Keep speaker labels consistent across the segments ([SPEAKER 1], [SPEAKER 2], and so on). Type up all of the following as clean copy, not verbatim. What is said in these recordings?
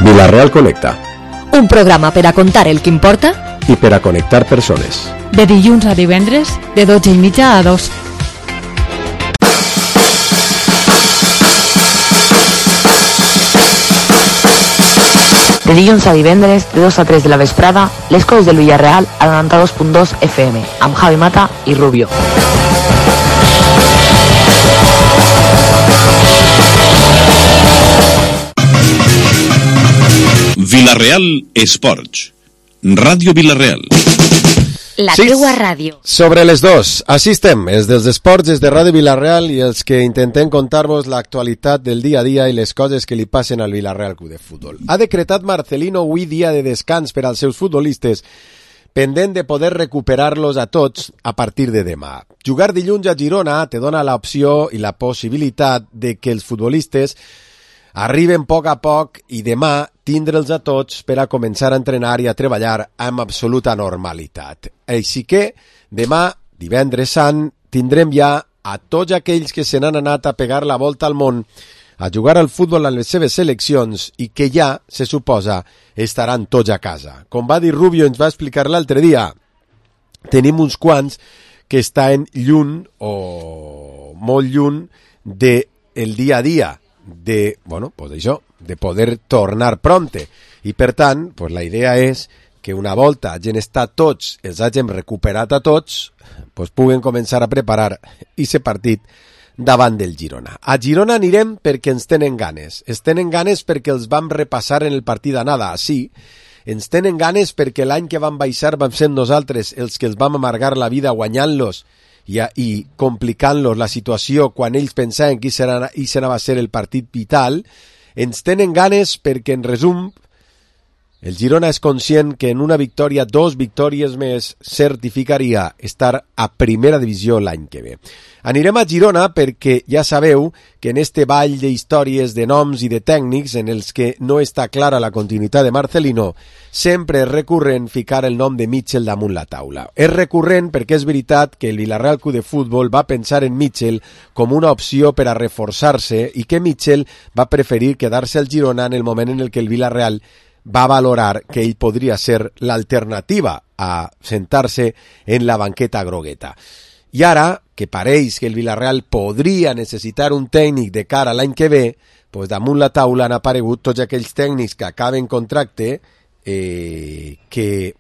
[SPEAKER 1] Vila-real Connecta.
[SPEAKER 2] Un programa per a contar el que importa
[SPEAKER 1] i per a connectar persones.
[SPEAKER 3] De dilluns a divendres, de 12:30 a 2.
[SPEAKER 4] De dilluns a divendres, de 2 a 3 de la vesprada, les coses del Villarreal al 92.2 FM, amb Javi Mata i Rubio.
[SPEAKER 5] Vila-real Esports. Ràdio Vila-real.
[SPEAKER 2] La teua ràdio.
[SPEAKER 1] Sobre les dos, així estem, els dels esports, els de Ràdio Vila-real i els que intentem contar-vos l'actualitat del dia a dia i les coses que li passen al Vila-real Club de Futbol. Ha decretat Marcelino avui dia de descans per als seus futbolistes, pendent de poder recuperar-los a tots a partir de demà. Jugar dilluns a Girona te dona l'opció i la possibilitat de que els futbolistes arriben a poc i demà tindre'ls a tots per a començar a entrenar i a treballar amb absoluta normalitat. Així que demà, divendres sant, tindrem ja a tots aquells que se n'han anat a pegar la volta al món, a jugar al futbol en les seves seleccions i que ja, se suposa, estaran tots a casa. Com va dir Rubio, ens va explicar l'altre dia, tenim uns quants que estan lluny o molt lluny del dia a dia, de, bueno, pues això, de poder tornar prompte. I per tant, pues la idea és que una volta hagin estat tots, els hagin recuperat a tots, pues puguen començar a preparar aquest partit davant del Girona. A Girona anirem perquè ens tenen ganes. Ens tenen ganes perquè els vam repassar en el partit d'anada, sí. Ens tenen ganes perquè l'any que vam baixar vam ser nosaltres els que els vam amargar la vida guanyant-los i complicant-los la situació quan ells pensaven que això anava a ser el partit vital. Ens tenen ganes perquè, en resum, el Girona és conscient que en una victòria, 2 victòries més, certificaria estar a primera divisió l'any que ve. Anirem a Girona perquè ja sabeu que en este ball d'històries, de noms i de tècnics en els que no està clara la continuïtat de Marcelino, sempre és recurrent ficar el nom de Mitchell damunt la taula. És recurrent perquè és veritat que el Vila-real Club de Futbol va pensar en Mitchell com una opció per a reforçar-se i que Mitchell va preferir quedar-se al Girona en el moment en el que el Vila-real va valorar que ell podria ser l'alternativa a sentar-se en la banqueta grogueta. I ara, que pareix que el Vila-real podria necessitar un tècnic de cara a l'any que ve, doncs damunt la taula han aparegut tots aquells tècnics que acaben contracte que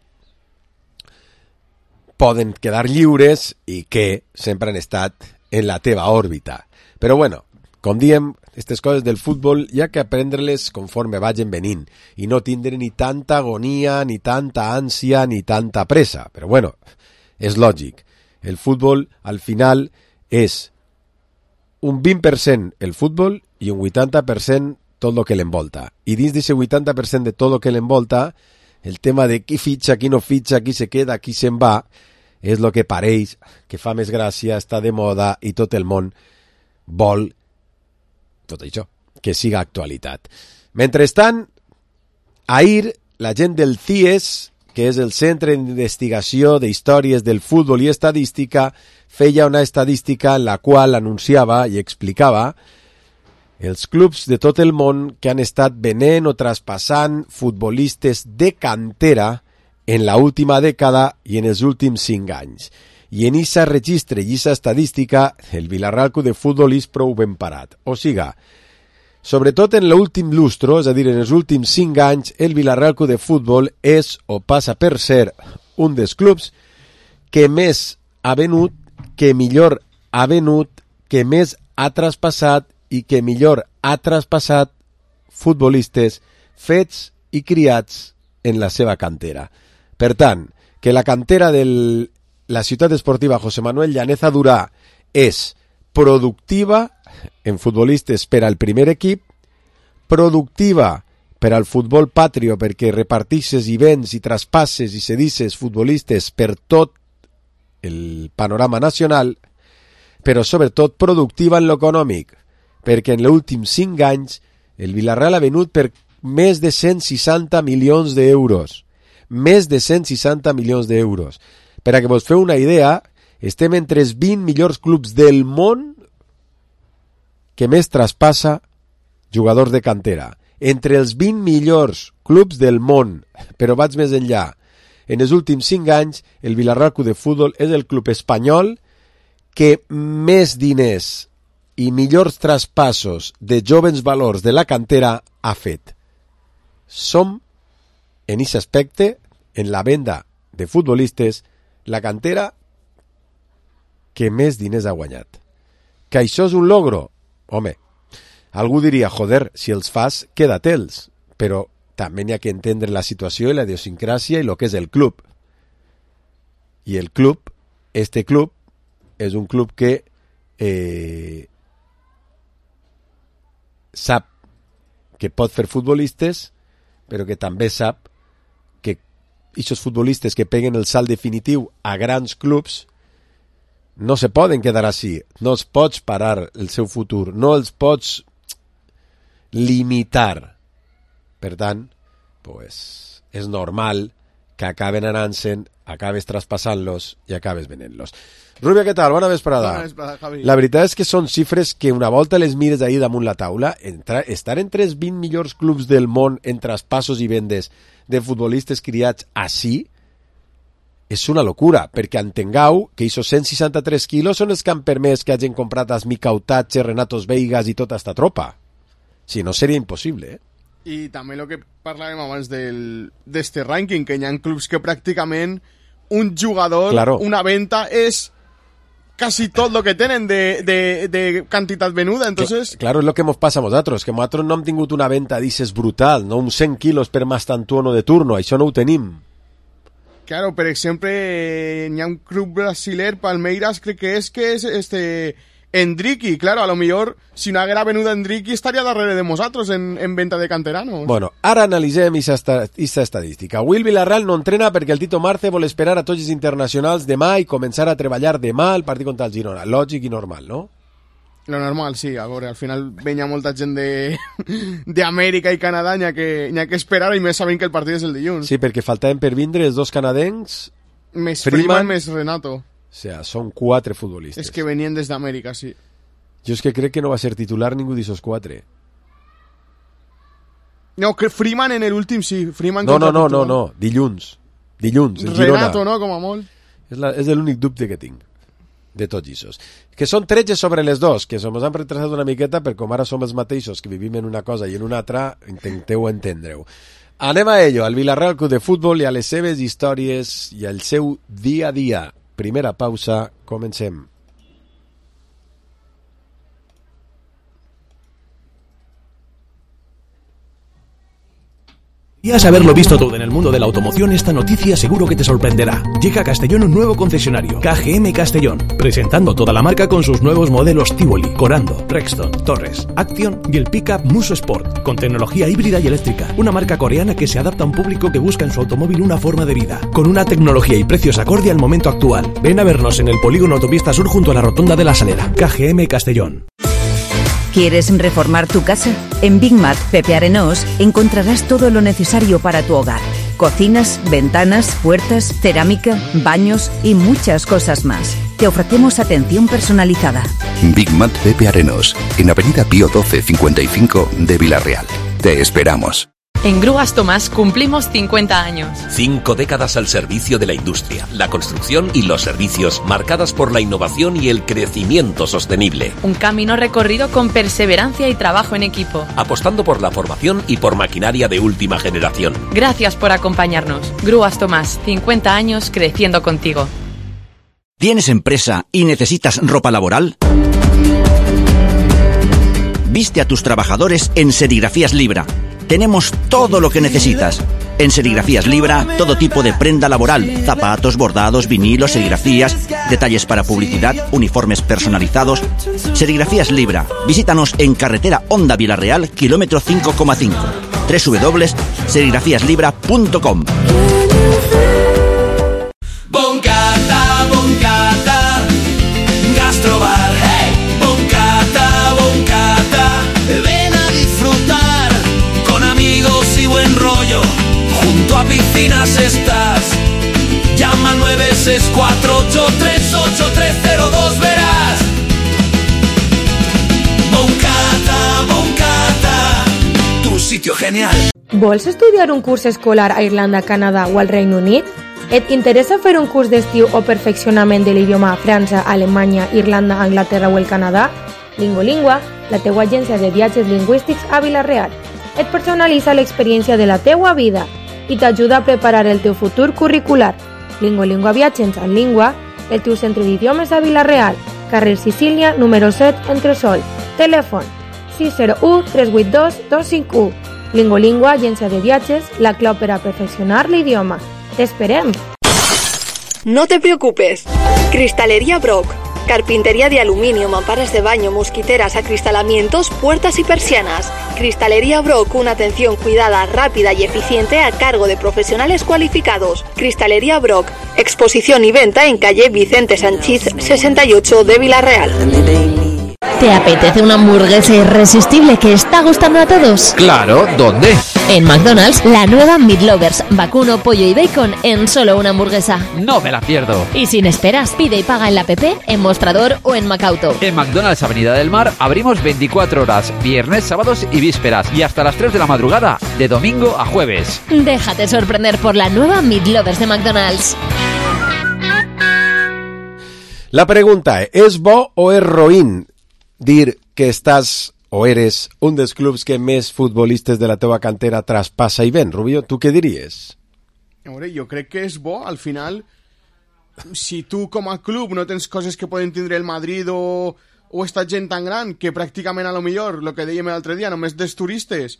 [SPEAKER 1] poden quedar lliures i que sempre han estat en la teva òrbita. Però bueno, com diem, aquestes coses del futbol hi ha que aprendre-les conforme vagin venint i no tindre ni tanta agonia, ni tanta ànsia, ni tanta pressa. Però bueno, és lògic. El futbol, al final, és un 20% el futbol i un 80% tot el que l'envolta. I dins d'aquest 80% de tot el que l'envolta, el tema de qui fitxa, qui no fitxa, qui se queda, qui se'n va, és el que pareix, que fa més gràcia, està de moda i tot el món vol tot això, que siga actualitat. Mentrestant, ahir la gent del CIES, que és el Centre d'Investigació d'Històries del Futbol i Estadística, feia una estadística en la qual anunciava i explicava els clubs de tot el món que han estat venent o traspassant futbolistes de cantera en la última dècada i en els últims 5 anys. I en aquest registre i aquesta estadística el Vila-real Club de Futbol és prou ben parat. O siga, sobretot en l'últim lustro, és a dir, en els últims 5 anys, el Vila-real Club de Futbol és o passa per ser un dels clubs que més ha venut, que millor ha venut, que més ha traspassat i que millor ha traspassat futbolistes fets i criats en la seva cantera. Per tant, que la cantera de la ciutat esportiva José Manuel Llaneza Durà és productiva en futbolistes per al primer equip, productiva per al futbol patrio perquè repartixes i vens i traspasses i cedisses futbolistes per tot el panorama nacional, però sobretot productiva en l'econòmic, perquè en els últims 5 anys el Vila-real ha venut per més de 160 milions d'euros. Més de 160 milions d'euros. Per a que vos feu una idea, estem entre els 20 millors clubs del món que més traspassa jugadors de cantera. entre els 20 millors clubs del món, però vaig més enllà. En els últims 5 anys, el Villarreal Club de Futbol és el club espanyol que més diners i millors traspassos de jovens valors de la cantera ha fet. Som, en aquest aspecte, en la venda de futbolistes, la cantera que més diners ha guanyat. Que això és un logro? Home, algú diria, joder, si els fas, queda-te'ls, però també n'hi ha que entendre la situació i la idiosincràsia i el que és el club. I el club, este club, és un club que sap que pot fer futbolistes, però que també sap que aquests futbolistes que peguen el salt definitiu a grans clubs no se poden quedar així, no els pots parar el seu futur, no els pots limitar. Per tant, pues, és normal que acaben anant-se'n, acabes traspassant-los i acabes venent-los. Rubia, què tal? Bona vesprada.
[SPEAKER 6] Bona vesprada, Javi.
[SPEAKER 1] La veritat és que són xifres que una volta les mires ahir damunt la taula, estar entre els 20 millors clubs del món en traspassos i vendes de futbolistes criats així és una locura, perquè entengueu que aquests 163 quilos són els que han permès que hagin comprat Asmi Kautatxe, Renatos Veigas i tota esta tropa. Si no, seria impossible,
[SPEAKER 6] I també el que parlàvem abans d'este rànquing, que hi ha clubs que pràcticament un jugador,
[SPEAKER 1] claro,
[SPEAKER 6] una venta és quasi tot el que tenen de quantitat venuda, entonces...
[SPEAKER 1] Claro, és el que ens passa a nosaltres, que nosaltres no hem tingut una venta d'ixes brutal, no uns 100 quilos per Mastantuono de turno, això no ho tenim.
[SPEAKER 6] Claro, per exemple, hi ha un club brasiler, Palmeiras, crec que és Endriqui, claro, a lo millor si no haguera venuda Endriqui estaria darrere de nosaltres en venta de canteranos.
[SPEAKER 1] Bueno, ara analitzem aquesta estadística. Avui el Villarreal no entrena perquè el Tito Marce vol esperar a tots els internacionals demà i començar a treballar demà al partit contra el Girona. Lògic i normal, no?
[SPEAKER 6] Lo normal, sí, a veure, al final venia molta gent d'Amèrica i Canadà, n'hi ha que esperar, i més sabent que el partit és el dilluns.
[SPEAKER 1] Sí, perquè faltaven per vindre els dos canadencs,
[SPEAKER 6] més Freeman, més Renato.
[SPEAKER 1] O sea, són 4 futbolistes.
[SPEAKER 6] És que venien des d'Amèrica, sí.
[SPEAKER 1] Jo és que crec que no va ser titular ningú d'aquests 4.
[SPEAKER 6] No, que Freeman en l'últim sí. Freeman
[SPEAKER 1] No. Dilluns, el Girona.
[SPEAKER 6] Renato, no, com a molt.
[SPEAKER 1] És l'únic dubte que tinc de tots aquests. Que són 13 sobre les dos, que ens han retrasat una miqueta, perquè com ara som els mateixos que vivim en una cosa i en una altra, intenteu entendre-ho. Anem a ello, al Villarreal Club de Futbol i a les seves històries i al seu dia a dia. Primera pausa, comencem.
[SPEAKER 7] ¿Quieres haberlo visto todo en el mundo de la automoción? Esta noticia seguro que te sorprenderá. Llega a Castellón un nuevo concesionario, KGM Castellón, presentando toda la marca con sus nuevos modelos Tivoli, Corando, Rexton, Torres, Action y el pickup Muso Sport, con tecnología híbrida y eléctrica. Una marca coreana que se adapta a un público que busca en su automóvil una forma de vida, con una tecnología y precios acorde al momento actual. Ven a vernos en el polígono Autopista Sur junto a la Rotonda de la Salera. KGM Castellón.
[SPEAKER 2] ¿Quieres reformar tu casa? En Big Mat Pepe Arenós encontrarás todo lo necesario para tu hogar. Cocinas, ventanas, puertas, cerámica, baños y muchas cosas más. Te ofrecemos atención personalizada.
[SPEAKER 8] Big Mat Pepe Arenós, en Avenida Pío 12 55 de Villarreal. Te esperamos.
[SPEAKER 9] En Grúas Tomás cumplimos 50 años.
[SPEAKER 10] 5 décadas al servicio de la industria, la construcción y los servicios, marcadas por la innovación y el crecimiento sostenible.
[SPEAKER 9] Un camino recorrido con perseverancia y trabajo en equipo.
[SPEAKER 10] Apostando por la formación y por maquinaria de última generación.
[SPEAKER 9] Gracias por acompañarnos. Grúas Tomás, 50 años creciendo contigo.
[SPEAKER 11] ¿Tienes empresa y necesitas ropa laboral? Viste a tus trabajadores en Serigrafías Libra. Tenemos todo lo que necesitas. En Serigrafías Libra, todo tipo de prenda laboral, zapatos, bordados, vinilos, serigrafías, detalles para publicidad, uniformes personalizados. Serigrafías Libra. Visítanos en carretera Honda Villarreal, kilómetro 5,5. www.serigrafíaslibra.com.
[SPEAKER 12] Boncata, Boncata, Gastrobar. Hey, Boncata, Boncata, ven a disfrutar con amigos y buen rollo. Junto a piscinas estás. Llama al 964838302, verás. Boncata, Boncata, tu sitio genial.
[SPEAKER 13] Vols estudiar un curs escolar a Irlanda, Canadà o al Regne Unit? Et interessa fer un curs d'estiu o perfeccionament de l'idioma a França, Alemanya, Irlanda, Anglaterra o el Canadà? Lingolingua, la teua agència de viatges lingüístics a Vila-real. Et personalitza l'experiència de la teua vida i t'ajuda a preparar el teu futur curricular. Lingolingua Viatges en Língua, el teu centre d'idiomes a Vila-real, carrer Sicília, número 7, Entresol. Telèfon 601 382 251. Lingolingua, agència de viatges, la clau per a perfeccionar l'idioma. T'esperem!
[SPEAKER 14] No te preocupes. Cristalería Brock. Carpintería de aluminio, mamparas de baño, mosquiteras, acristalamientos, puertas y persianas. Cristalería Brock, una atención cuidada, rápida y eficiente a cargo de profesionales cualificados. Cristalería Brock, exposición y venta en calle Vicente Sanchís 68 de Vila-real.
[SPEAKER 15] ¿Te apetece una hamburguesa irresistible que está gustando a todos?
[SPEAKER 16] Claro, ¿dónde?
[SPEAKER 15] En McDonald's, la nueva Meat Lovers, vacuno, pollo y bacon en solo una hamburguesa.
[SPEAKER 16] No me la pierdo.
[SPEAKER 15] Y sin esperas, pide y paga en la app, en Mostrador o en Macauto.
[SPEAKER 16] En McDonald's Avenida del Mar abrimos 24 horas, viernes, sábados y vísperas, y hasta las 3 de la madrugada, de domingo a jueves.
[SPEAKER 15] Déjate sorprender por la nueva Meat Lovers de McDonald's.
[SPEAKER 1] La pregunta és bo o és roïn dir que estàs o eres un dels clubs que més futbolistes de la teva cantera traspassa i ven? Rubio, tu què diries?
[SPEAKER 6] Hombre, jo crec que és bo, al final, si tu com a club no tens coses que poden tindre el Madrid o esta gent tan gran que pràcticament a lo millor, el que dèiem l'altre dia, només des turistes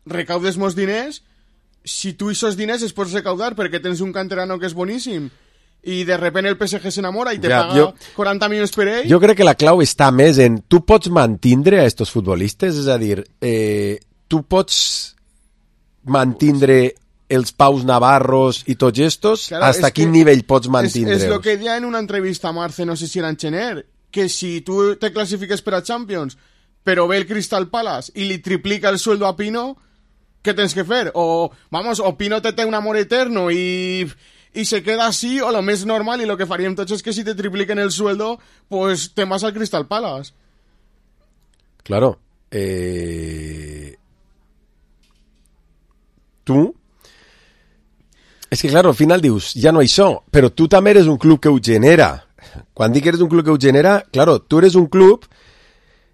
[SPEAKER 6] recaudes molts diners, si tu aquests diners es pots recaudar perquè tens un canterano que és boníssim i de repente el PSG s'enamora i te paga 40 milions per ell.
[SPEAKER 1] Jo crec que la clau està més en tu pots mantindre a estos futbolistes, és a dir, tu pots mantindre els Paus Navarros i tots estos, claro, hasta quin nivell pots mantindre-los?
[SPEAKER 6] És el que deia en una entrevista a Marce, no sé si era en Chener, que si tu te classifiques per a Champions, però ve el Crystal Palace i li triplica el sueldo a Pino, què tens que fer? O Pino te té un amor eterno y se queda así, o lo més normal, y lo que faríem tots es que si te tripliquen el sueldo, pues te vas al Crystal Palace.
[SPEAKER 1] Claro. Tu... És que, claro, al final dius, ja no això, però tu també eres un club que ho genera. Quan dic que eres un club que ho genera, claro, tu eres un club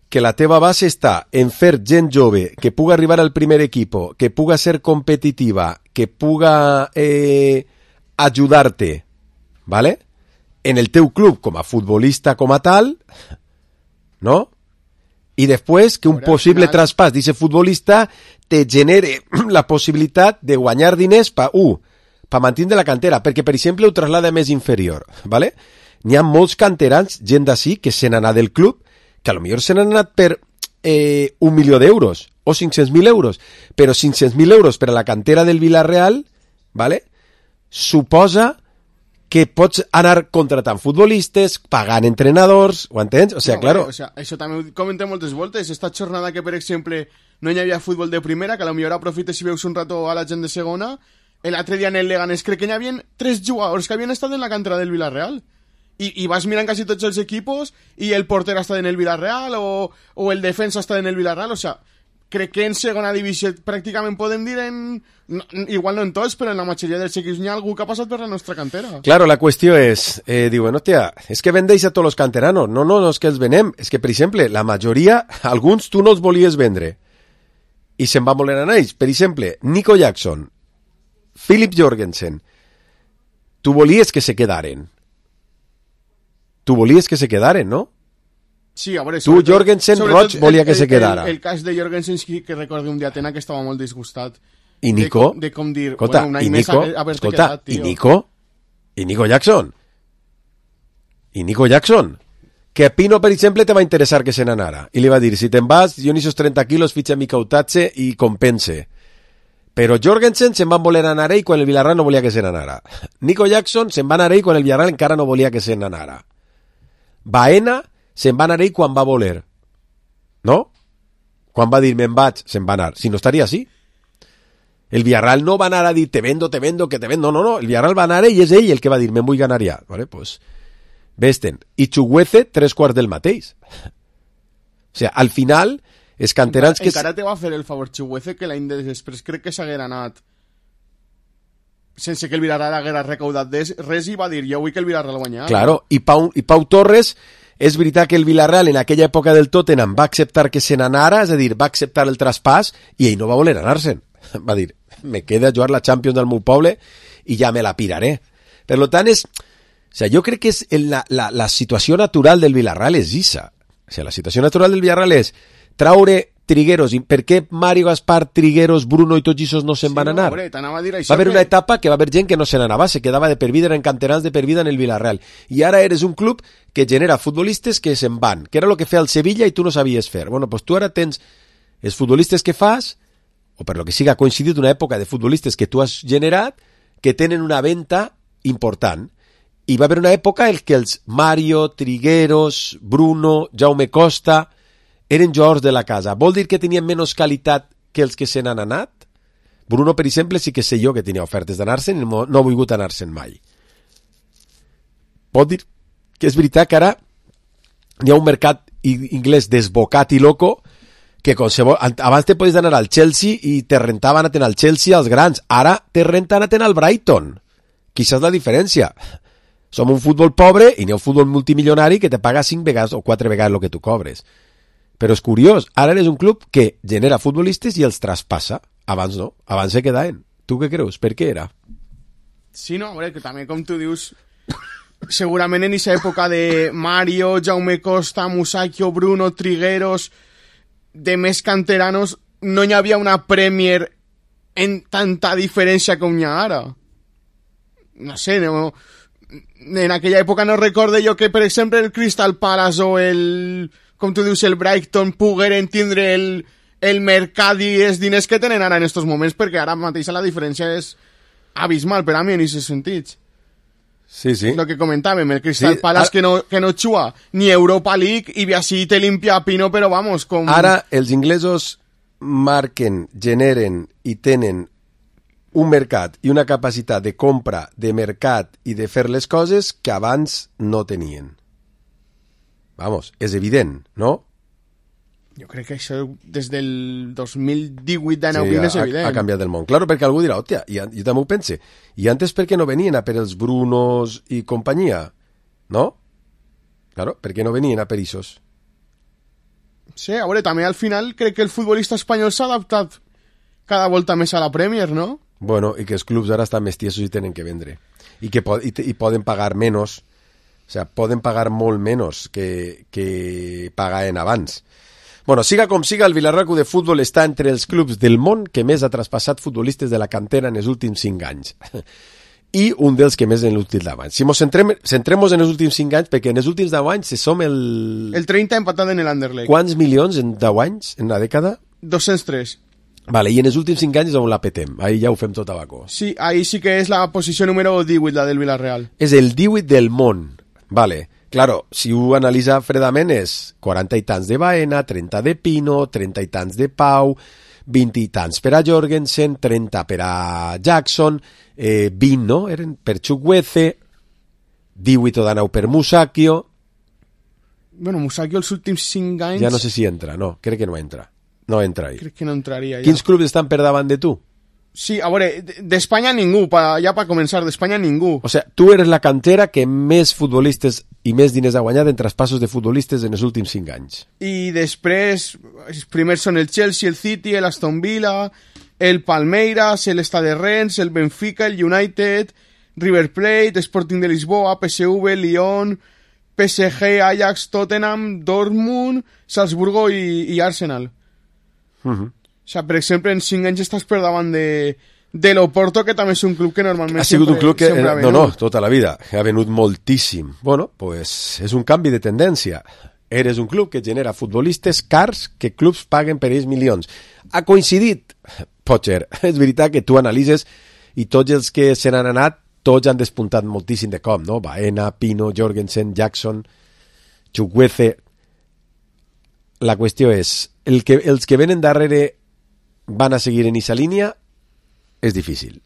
[SPEAKER 1] que la teva base està en fer gent jove, que puga arribar al primer equipo, que puga ser competitiva, que puga... ajudar-te, ¿vale? En el teu club com a futbolista com a tal, ¿no? I després que un possible traspàs d'ese futbolista te genere la possibilitat de guanyar diners per mantenir la cantera, perquè, per exemple, ho traslada més inferior, ¿vale? N'hi ha molts canterans, gent d'ací, que se n'han anat del club, que a lo millor se n'han anat per 1 milió d'euros, o 500.000 euros, però 500.000 euros per a la cantera del Vila-real, ¿vale? Suposa que pots anar contratant futbolistes, pagant entrenadors, ho entens? O sea, claro...
[SPEAKER 6] O sea, això també ho comentem moltes voltes. Esta jornada que, per exemple, no hi havia futbol de primera, que a lo millor aprofites si veus un rato a la gent de segona, l'altre dia en el Leganés crec que hi havia 3 jugadors que havien estat en la cantera del Vila-real. I vas mirant quasi tots els equipos i el porter ha estat en el Vila-real o el defensa ha estat en el Vila-real, o sea... Crec que en segona divisió pràcticament podem dir igual no en tots, però en la majoria dels equips n'hi ha algú que ha passat per la nostra cantera.
[SPEAKER 1] Claro, la qüestió és, diuen, hòstia, és que vendeix a tots els canteranos. No, és que els venem. És que, per exemple, la majoria, alguns tu no els volies vendre. I se'n va voler anar ells. Per exemple, Nico Jackson, Philip Jorgensen, tu volies que se quedaren. Tu volies que se quedaren, no?
[SPEAKER 6] Sí, a veure,
[SPEAKER 1] tu, Jorgensen, Roig, volia que se quedara.
[SPEAKER 6] El cas de Jorgensen sí que recordo un dia Atena que estava molt disgustat.
[SPEAKER 1] I Nico?
[SPEAKER 6] De com dir,
[SPEAKER 1] escolta,
[SPEAKER 6] bueno, un any més haver-te quedat, tio.
[SPEAKER 1] I Nico Jackson? Que a Pino, per exemple, te va interessar que se n'anara. I li va dir, si te'n vas, jo en esos 30 quilos fitxa mi cautatge i compense. Però Jorgensen se'n van voler anar ell quan el Villarreal no volia que se n'anara. Nico Jackson se'n va anar ell quan el Villarreal encara no volia que se n'anara. Baena se'n va anar ell quan va voler. No? Quan va dir me'n vaig, se'n va anar. Si no estaria així. El Villarreal no va anar a dir te vendo, que te vendo. No. El Villarreal va anar i és ell el que va dir me'n vull ganar ja. Vale? Pues, vesten. I Chuguece, 3/4 del mateix. O sea, al final, els canterans que...
[SPEAKER 6] Encara te va fer el favor Chuguece que l'any després crec que s'haguera anat sense que el Villarreal haguera recaudat res i va dir jo vull que el Villarreal guanyar.
[SPEAKER 1] Claro, i Pau Torres, és veritat que el Villarreal en aquella època del Tottenham va acceptar que se n'anara, és a dir, va acceptar el traspàs i ell no va voler anar-se'n. Va dir, me queda a jugar la Champions del meu poble i ja me la piraré. Per tant, jo crec que és la situació natural del Villarreal és issa. La situació natural del Villarreal és traure Trigueros. I per què Mario, Gaspar, Trigueros, Bruno i tots aquests no se'n van anar? Va haver una etapa que va haver gent que no se n'anava, se quedava de per vida, eren canterans de per vida en el Villarreal. I ara eres un club que genera futbolistes que se'n van, que era el que feia el Sevilla i tu no sabies fer. Bueno, pues tu ara tens els futbolistes que fas, o per lo que siga, ha coincidit una època de futbolistes que tu has generat, que tenen una venta important. I va haver una època en què els Mario, Trigueros, Bruno, Jaume Costa eren jugadors de la casa. Vol dir que tenien menys qualitat que els que se n'han anat? Bruno, per exemple, sí que sé jo que tenia ofertes d'anar-se'n i no ha volgut anar-se'n mai. Pot dir que és veritat que ara hi ha un mercat inglès desbocat i loco que abans te podies anar al Chelsea i te rentava anar al Chelsea als grans. Ara te renta anar al Brighton. Quizás la diferència. Som un futbol pobre i n'hi ha un futbol multimilionari que te paga 5 vegades o 4 vegades el que tu cobres. Però és curiós, ara eres un club que genera futbolistes i els traspassa. Abans no, abans se quedaven. Tu què creus? Per què era?
[SPEAKER 6] Sí, no, que també, com tu dius, segurament en aquesta època de Mario, Jaume Costa, Musacchio, Bruno, Trigueros, de més canteranos, no hi havia una Premier en tanta diferència com hi ha ara. No sé, no... En aquella època no recorde jo que, per exemple, el Crystal Palace o el, com tu dius, el Brighton pogueren tindre el mercat i els diners que tenen ara en estos moments, perquè ara mateix la diferència és abismal per a mi en aquests sentits.
[SPEAKER 1] Sí, sí.
[SPEAKER 6] Lo que comentàvem, el Crystal Palace que no juga ni Europa League i així te limpia Pino, però vamos, com...
[SPEAKER 1] Ara els inglesos marquen, generen i tenen un mercat i una capacitat de compra, de mercat i de fer les coses que abans no tenien. Vamos, és evident, no?
[SPEAKER 6] Jo crec que això des del 2018 d'Anauquín és evident.
[SPEAKER 1] Ha canviat el món. Claro, perquè algú dirà, hòstia, jo també ho pense. I antes per què no venien a per els Brunos i companyia? No? Claro, per què no venien a per Isos?
[SPEAKER 6] Sí, a veure, també al final crec que el futbolista espanyol s'ha adaptat cada volta més a la Premier, no?
[SPEAKER 1] Bueno, i que els clubs ara estan més tiesos i tenen que vendre. I que poden pagar menys, o sea, poden pagar molt menys que pagaven abans. Bueno, siga com siga, el Villarreal de Futbol està entre els clubs del món que més ha traspassat futbolistes de la cantera en els últims 5 anys. I un dels que més en els últims 10 anys. Si ens centrem en els últims 5 anys, perquè en els últims 10 anys som el...
[SPEAKER 6] El 30 empatat en l'Anderlecht.
[SPEAKER 1] Quants milions en 10 anys, en una dècada?
[SPEAKER 6] 203.
[SPEAKER 1] Vale, i en els últims 5 anys és on la petem. Ahí ja ho fem tot a bacó.
[SPEAKER 6] Sí, ahí sí que és la posició número 18, la del Villarreal.
[SPEAKER 1] És el 18 del món. Vale. Claro, si ho analitza fredament és 40 i tants de Baena, 30 de Pino, 30 i tants de Pau, 20 i tants per a Jorgensen, 30 per a Jackson, 20, no? Eren per Chukwueze, 18 o d'anau per Musacchio.
[SPEAKER 6] Bueno, Musacchio els últims 5 anys...
[SPEAKER 1] Ja no sé si entra, no, crec que no entra. No entra ahí.
[SPEAKER 6] Crec que no entraria.
[SPEAKER 1] Quins clubs estan per davant de tu?
[SPEAKER 6] Sí, a veure, d'Espanya ningú, ja per començar, d'Espanya ningú.
[SPEAKER 1] O sea, tu eres la cantera que més futbolistes i més diners ha guanyat en traspassos de futbolistes en els últims 5 anys.
[SPEAKER 6] I després, els primers són el Chelsea, el City, l'Aston Villa, el Palmeiras, el Stade Rennes, el Benfica, el United, River Plate, Sporting de Lisboa, PSV, Lyon, PSG, Ajax, Tottenham, Dortmund, Salzburgo i Arsenal. O sea, per exemple, en 5 anys estàs per davant de l'Oporto, que també és un club que normalment
[SPEAKER 1] ha sigut un club que no, tota la vida ha venut moltíssim. Bueno, pues és un canvi de tendència. Eres un club que genera futbolistes cars que clubs paguen per ells milions. Ha coincidit, Pocher, és veritat que tu analitzes i tots els que se n'han anat, tots han despuntat moltíssim de cop, no? Baena, Pino, Jorgensen, Jackson, Chukwueze. La qüestió és, els que venen darrere van a seguir en esa línia? És difícil.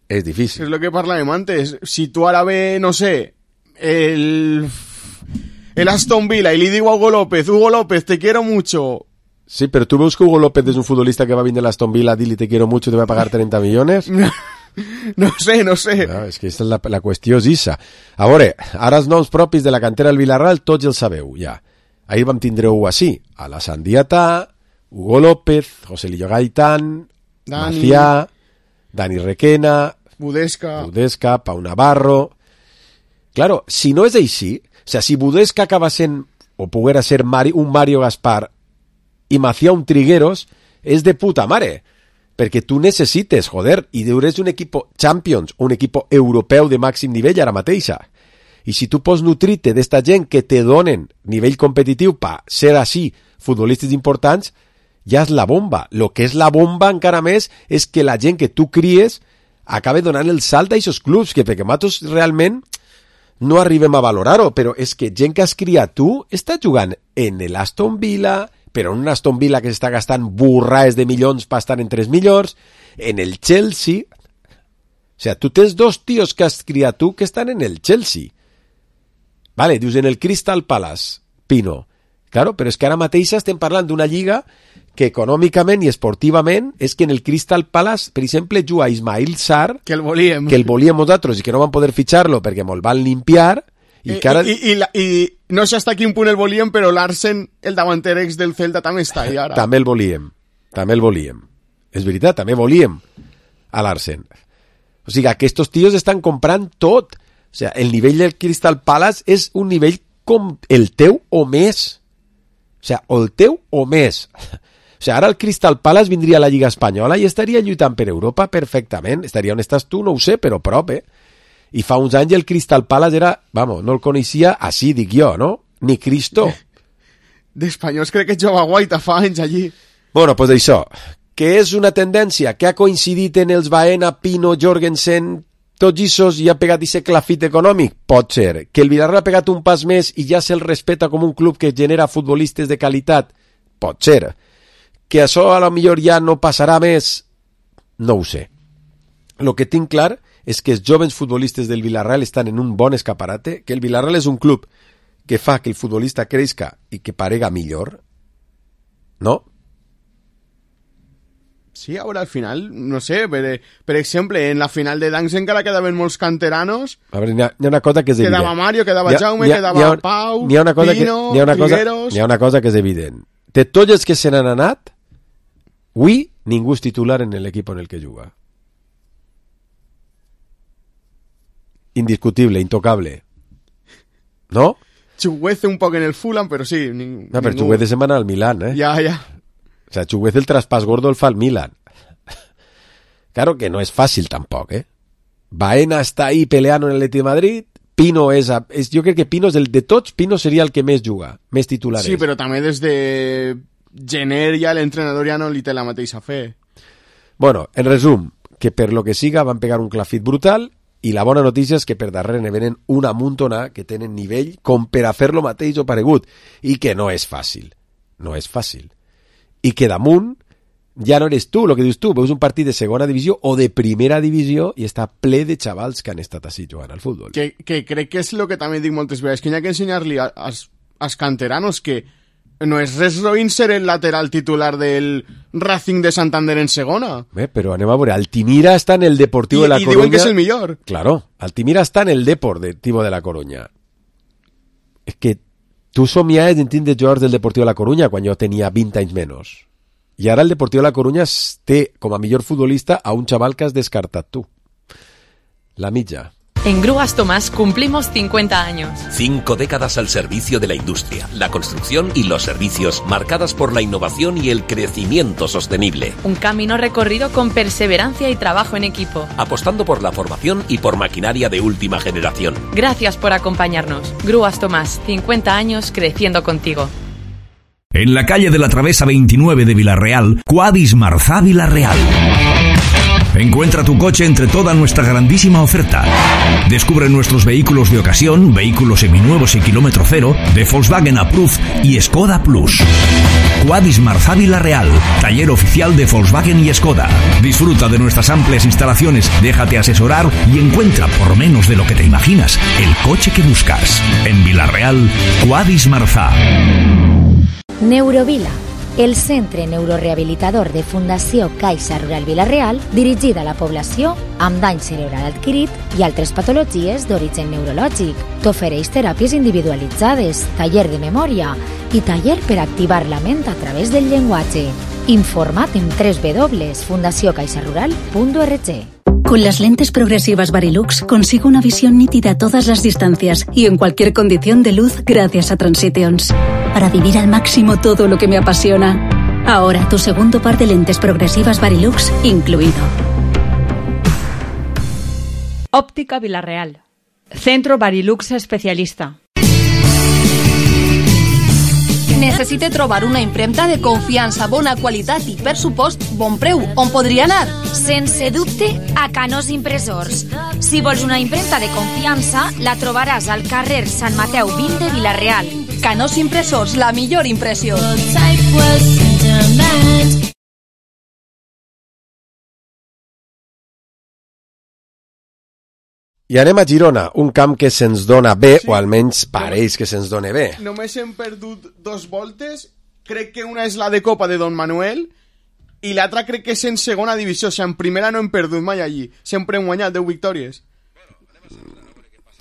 [SPEAKER 1] És difícil.
[SPEAKER 6] És lo que parlàvem antes. Si tu ara ve, no sé, el Aston Villa y le digo a Hugo López, te quiero mucho,
[SPEAKER 1] Sí, pero tú veus que Hugo López es un futbolista que va a venir a Aston Villa, dile te quiero mucho, te va a pagar 30 millones.
[SPEAKER 6] No sé.
[SPEAKER 1] No, és que aquesta és la qüestió és issa. A veure, ara els noms propis de la cantera del Villarreal tots els sabeu, ja. Ahir vam tindre així, a la Sandiata, Hugo López, José Lillo Gaitán, Macià, Dani Requena, Budesca, Pau Navarro... Claro, si no és així, o sea, si Budesca acaba sent, o poguera ser un Mario Gaspar i Macià un Trigueros, és de puta mare. Perquè tu necessites, joder, i eres un equip Champions, un equip europeu de màxim nivell ara mateixa. I si tu pots nutrir-te d'esta gent que te donen nivell competitiu per ser així futbolistes importants, ja és la bomba. Lo que és la bomba encara més és que la gent que tu cries acabe donant el salt a aquests clubs, que perquè nosaltres realment no arribem a valorar-ho, però és que gent que has criat tu està jugant en l'Aston Villa, però en un Aston Villa que s'està gastant burraes de milions per estar entre els millors, en el Chelsea... O sea, tu tens dos tios que has criat tu que estan en el Chelsea. Vale, dius en el Crystal Palace, Pino. Claro, però és que ara mateix estem parlant d'una lliga que econòmicament i esportivament és que en el Crystal Palace, per exemple, juga Ismail Sarr, que el volíem nosaltres i que no van poder fitxar-lo perquè me'l van limpiar. I
[SPEAKER 6] no sé hasta quin punt el volíem, però l'Arsen, el davanter ex del Celta, també està ahí ara.
[SPEAKER 1] També el volíem. És veritat, també volíem a l'Arsen. O sigui, aquests tios estan comprant tot. O sigui, el nivell del Crystal Palace és un nivell com el teu o més. O sigui, o el teu o més. O sigui, ara el Crystal Palace vindria a la Lliga Espanyola i estaria lluitant per Europa perfectament. Estaria on estàs tu, no ho sé, però prop, I fa uns anys el Crystal Palace era... Vamos, no el coneixia, així dic jo, no? Ni Cristo.
[SPEAKER 6] D'espanyols crec que jugava Guaita fa anys allí.
[SPEAKER 1] Bueno, pues això, que és una tendència que ha coincidit en els Baena, Pino, Jorgensen, tots issos i ha pegat aquest clafit econòmic? Pot ser. Que el Villarreal ha pegat un pas més i ja se'l respeta com un club que genera futbolistes de qualitat? Pot ser. Que això a lo millor ja no passarà més? No ho sé. Lo que tinc clar és que els jovens futbolistes del Villarreal estan en un bon escaparate, que el Villarreal és un club que fa que el futbolista creixca i que parega millor, no?
[SPEAKER 6] Sí, ara al final, no sé, per exemple, en la final de Danks encara quedaven molts canteranos.
[SPEAKER 1] A veure, hi ha una cosa que és evident.
[SPEAKER 6] Quedava Mario, quedava Jaume, quedava Pau, Pino, Trigueros...
[SPEAKER 1] Hi ha una cosa que és evident. De tots els que se n'han anat, avui ningú és titular en l'equip en el que juga. Indiscutible, intocable. ¿No?
[SPEAKER 6] Chuguece un poco en el Fulham, pero sí.
[SPEAKER 1] No, pero Chuguece se van al Milan, ¿eh?
[SPEAKER 6] Ya.
[SPEAKER 1] O sea, Chuguece el traspàs gordo el fa al Milan. Claro que no es fácil tampoco, ¿eh? Baena está ahí peleando en el Atlético de Madrid. Pino yo creo que Pino es el de tots, Pino sería el que més juga, més titular.
[SPEAKER 6] Sí, però també des de gener ja l'entrenador ja no li té la mateixa fe.
[SPEAKER 1] Bueno, en resum, que per lo que siga van pegar un clafit brutal. I la bona notícia és que per darrere ne venen una muntona que tenen nivell com per a fer lo mateix o paregut. I que no és fàcil. No és fàcil. I que damunt ja no eres tu, el que dius tu. Veus un partit de segona divisió o de primera divisió i està ple de xavals que han estat així jugant al futbol.
[SPEAKER 6] Que crec que és el que també dic moltes vegades, que hi ha que ensenyar-li als canteranos que no és res roïn ser el lateral titular del Racing de Santander en segona.
[SPEAKER 1] Però anem a veure, Altimira està en el Deportivo de la Coruña.
[SPEAKER 6] I diuen que és el millor.
[SPEAKER 1] Claro, Altimira està en el Deportivo de la Coruña. És que tu somiaves en tindre jugadors del Deportivo de la Coruña quan jo tenia 20 anys menys. I ara el Deportivo de la Coruña té com a millor futbolista a un xaval que has descartat tu. La mitja.
[SPEAKER 9] En Grúas Tomás cumplimos 50 años.
[SPEAKER 10] 5 décadas al servicio de la industria, la construcción y los servicios, marcadas por la innovación y el crecimiento sostenible.
[SPEAKER 9] Un camino recorrido con perseverancia y trabajo en equipo.
[SPEAKER 10] Apostando por la formación y por maquinaria de última generación.
[SPEAKER 9] Gracias por acompañarnos. Grúas Tomás, 50 años creciendo contigo.
[SPEAKER 7] En la calle de la Travesa 29 de Villarreal, Quadis Marzá Villarreal. Encuentra tu coche entre toda nuestra grandísima oferta. Descubre nuestros vehículos de ocasión, vehículos seminuevos y kilómetro cero, de Volkswagen Approved y Skoda Plus. Quadis Marzá Villarreal, taller oficial de Volkswagen y Skoda. Disfruta de nuestras amplias instalaciones, déjate asesorar y encuentra por menos de lo que te imaginas el coche que buscas. En Villarreal, Quadis Marzá.
[SPEAKER 15] Neurovila,
[SPEAKER 17] el centre neurorehabilitador de Fundació Caixa Rural Vila-real, dirigida a la població amb dany cerebral adquirit i altres patologies d'origen neurològic. T'ofereix teràpies individualitzades, taller de memòria i taller per activar la ment a través del llenguatge. Informa't en www.fundaciocaixarural.org.
[SPEAKER 18] Con las lentes progresivas Varilux consigo una visión nítida a todas las distancias y en cualquier condición de luz gracias a Transitions. Para vivir al máximo todo lo que me apasiona. Ahora tu segundo par de lentes progresivas Varilux incluido.
[SPEAKER 3] Óptica Vila-real. Centro Varilux especialista.
[SPEAKER 14] Necessite trobar una impremta de confiança, bona qualitat i, per supost, bon preu. On podria anar?
[SPEAKER 19] Sense dubte, a Canós Impressors. Si vols una impremta de confiança, la trobaràs al carrer Sant Mateu 20 de Vila-real.
[SPEAKER 14] Canós Impressors, la millor impressió.
[SPEAKER 1] I anem a Girona, un camp que se'ns dona bé, o almenys pareix que se'ns dona bé.
[SPEAKER 6] Només hem perdut 2 voltes, crec que una és la de Copa de Don Manuel i l'altra crec que és en segona divisió, o sigui, en primera no hem perdut mai allí, sempre hem guanyat 10 victòries.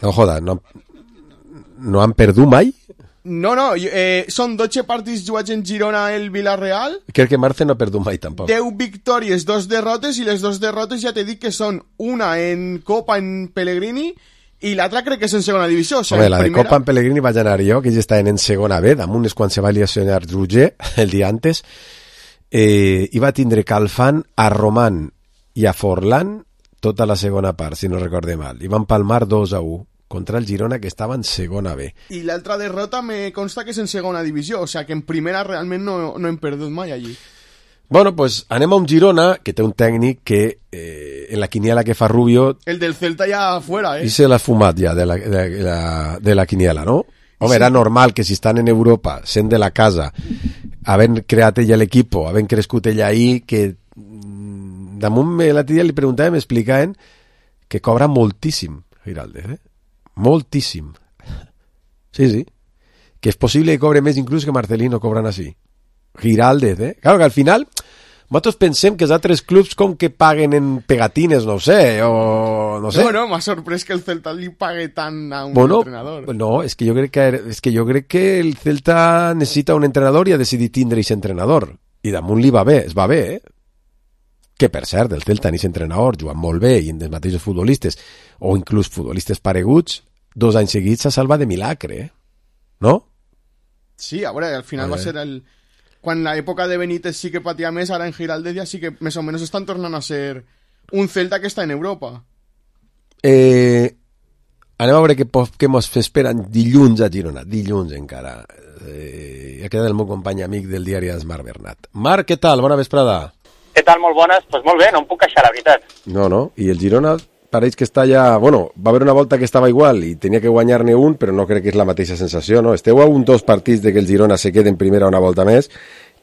[SPEAKER 1] No joda, no han perdut mai?
[SPEAKER 6] No, són 12 partits jugats en Girona el Vila-real.
[SPEAKER 1] Crec que Marce no ha perdut mai tampoc.
[SPEAKER 6] 10 victòries, 2 derrotes, i les 2 derrotes ja t'he dit que són una en Copa en Pellegrini i l'altra crec que és en segona divisió. O sigui,
[SPEAKER 1] home, la primera... de Copa en Pellegrini vaig anar jo, que ja estaven en segona B, damunt és quan se va lesionar Roger, el dia antes, i va tindre Calfan a Roman i a Forlán tota la segona part, si no recorde mal, i van palmar 2-1 contra el Girona, que estava en segona B.
[SPEAKER 6] I l'altra derrota me consta que és en segona divisió, o sigui que en primera realment no hem perdut mai allí.
[SPEAKER 1] Bueno, pues anem a un Girona que té un tècnic que en la quiniela que fa Rubio...
[SPEAKER 6] El del Celta ja fuera,
[SPEAKER 1] I se l'ha fumat ja de la quiniela, no? Home, era normal que si estan en Europa, sent de la casa, havent creat ella l'equip, havent crescut ella ahí, que damunt l'altre dia li preguntàvem, m'explicaven que cobra moltíssim, Giraldez, moltíssim. Sí. Que és possible que cobre més inclús que Marcelino cobran així. Giraldez, Claro que al final nosaltres pensem que els altres clubs com que paguen en pegatines, no sé, o no sé.
[SPEAKER 6] Bueno, m'ha sorprès que el Celta li pague tant a un entrenador.
[SPEAKER 1] No, és que jo crec que el Celta necessita un entrenador i ha decidit tindre aquest entrenador. I damunt li va bé, es va bé, Que, per cert, el Celta en aquest entrenador jugant molt bé i en els mateixos futbolistes, o inclús futbolistes pareguts, 2 anys seguits s'ha salvat de milagre, no?
[SPEAKER 6] Sí, a veure, al final va ser quan l'època de Benítez sí que patia més, ara en Giraldez ja sí que més o menys estan tornant a ser un Celta que està en Europa.
[SPEAKER 1] Anem a veure què mos esperen dilluns a Girona, dilluns encara. Ha quedat el meu company amic del diari Esmar Bernat. Marc, què tal? Bona vesprada.
[SPEAKER 20] Què tal? Molt bones? Doncs molt bé, no em puc queixar, la veritat.
[SPEAKER 1] No, i el Girona pareix que està ja... Bueno, va haver una volta que estava igual i tenia que guanyar-ne un, però no crec que és la mateixa sensació, no? Esteu a 2 partits de que el Girona se quede en primera una volta més